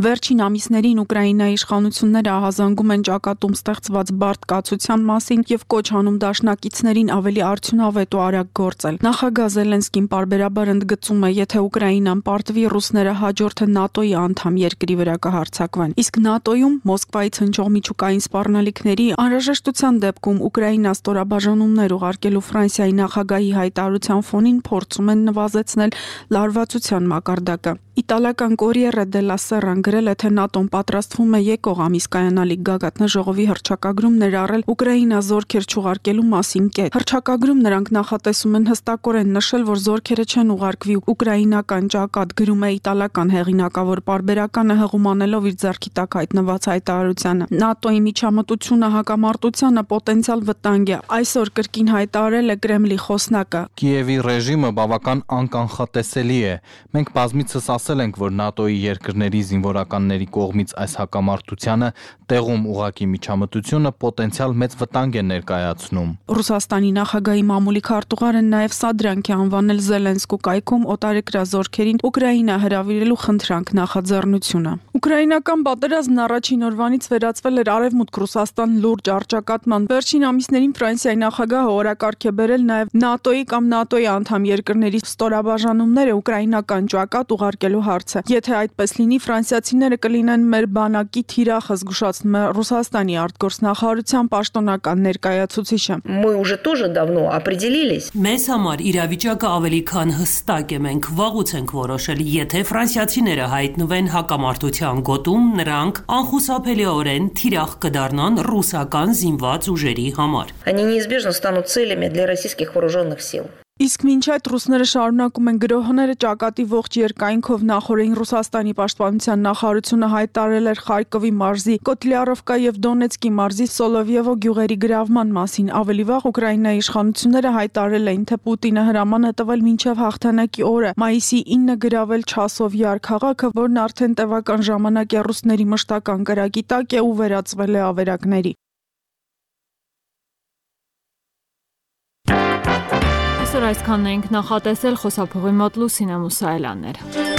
Վերջին ամիսներին Ուկրաինայի իշխանությունները ահազանգում են ճակատում ստեղծված բարդ կացության մասին եւ կոչ անում դաշնակիցներին ավելի արդյունավետ ու արագ գործել։ Նախագահ Զելենսկին պարբերաբար ընդգծում է, եթե Ուկրաինան պարտվի, ռուսները հաջորդը ՆԱՏՕ-ի անդամ երկրի վրա կհարձակվեն։ Իսկ ՆԱՏՕ-ում Մոսկվայից հնչող միջուկային սպառնալիքների անհրաժեշտության դեպքում Ուկրաինա ստորաբաժանումներ ուղարկելու Ֆրանսիայի նախագահի հայտարարության ֆոնին փորձում են նվազեցնել լարվածության մակարդակը։ Իտալական Corriere della Sera-ն գրել է, թե ՆԱՏՕ-ն պատրաստվում է եկող ամիս կայանալիք գագաթնաժողովի հռչակագրում ներառել Ուկրաինա զորքեր չուղարկելու մասին կետ։ Հռչակագրում նրանք նախատեսում են հստակորեն նշել, որ զորքերը չեն ուղարկվի ուկրաինական ճակատ, գրում է իտալական հեղինակավոր պարբերականը հղումանելով իր ձեռքի տակ հայտնված հայտարարությանը։ ՆԱՏՕ-ի միջամտությունը հակամարտությանը պոտենցիալ վտանգ է, այսօր կրկին հայտարարել է Կրեմլի խոսնակը։ Կիևի ռեժիմը բավական անկանխատեսելի է։ Մենք բազմիցս ասել ենք, որ ՆԱՏՕ-ի երկրների զինվորականների կողմից այս հակամարտությանը տեղում ուղղակի միջամտությունը պոտենցիալ մեծ վտանգ է ներկայացնում։ Ռուսաստանի նախագահի մամուլի քարտուղարը նաև սա դրանք է անվանել Զելենսկու կայքում օտարերկրյա զորքերին Ուկրաինա հրավիրելու խնդրանք նախաձեռնությունը։ Ուկրաինական պատերազմն առաջին օրվանից վերածվել էր Արևմուտք Ռուսաստան լուրջ առճակատման։ Վերջին ամիսներին Ֆրանսիայի նախագահը օրակարգ է բերել նաև ՆԱՏՕ-ի կամ ՆԱՏՕ-ի անդամ երկրների ստորաբաժանումները ուկրաինական ճակատ ուղարկելու հարցը։ Եթե այդպես լինի, ֆրանսիացիները կլինեն մեր բանակի թիրախը, զգուշացնում է Ռուսաստանի արտգործնախարարության պաշտոնական ներկայացուցիչը։ Мы уже тоже давно определились. Մեզ համար իրավիճակը ավելի քան հստակ է, մենք վաղուց ենք որոշել, եթե ֆրանսիացիները հայտնվեն հակամարտության գոտում, նրանք անխուսափելիորեն թիրախ կդառնան ռուսական զինված ուժերի համար։ Они неизбежно станут целями для российских вооруженных сил. Իսկ մինչ այդ ռուսները շարունակում են գրոհները ճակատի ողջ երկայնքով նախորդին Ռուսաստանի պաշտպանության նախարարությունը հայտարարել էր Խարկովի մարզի, Կոտլյարովկա եւ Դոնեցկի մարզի Սոլովյևո գյուղերի գրավման մասին։ Ավելի վաղ Ուկրաինայի իշխանությունները հայտարարել էին, թե Պուտինը հրաման է տվել մինչև հաղթանակի օրը մայիսի ինը գրավել Չասովյար քաղաքը, որն արդեն տևական ժամանակ է ռուսների մշտական կրակի տակ է ու վերածվել է ավերակների։ Այսօր այսքանն ենք նախատեսել, խոսափողի մոտ Լուսինե Մուսայելյաններ։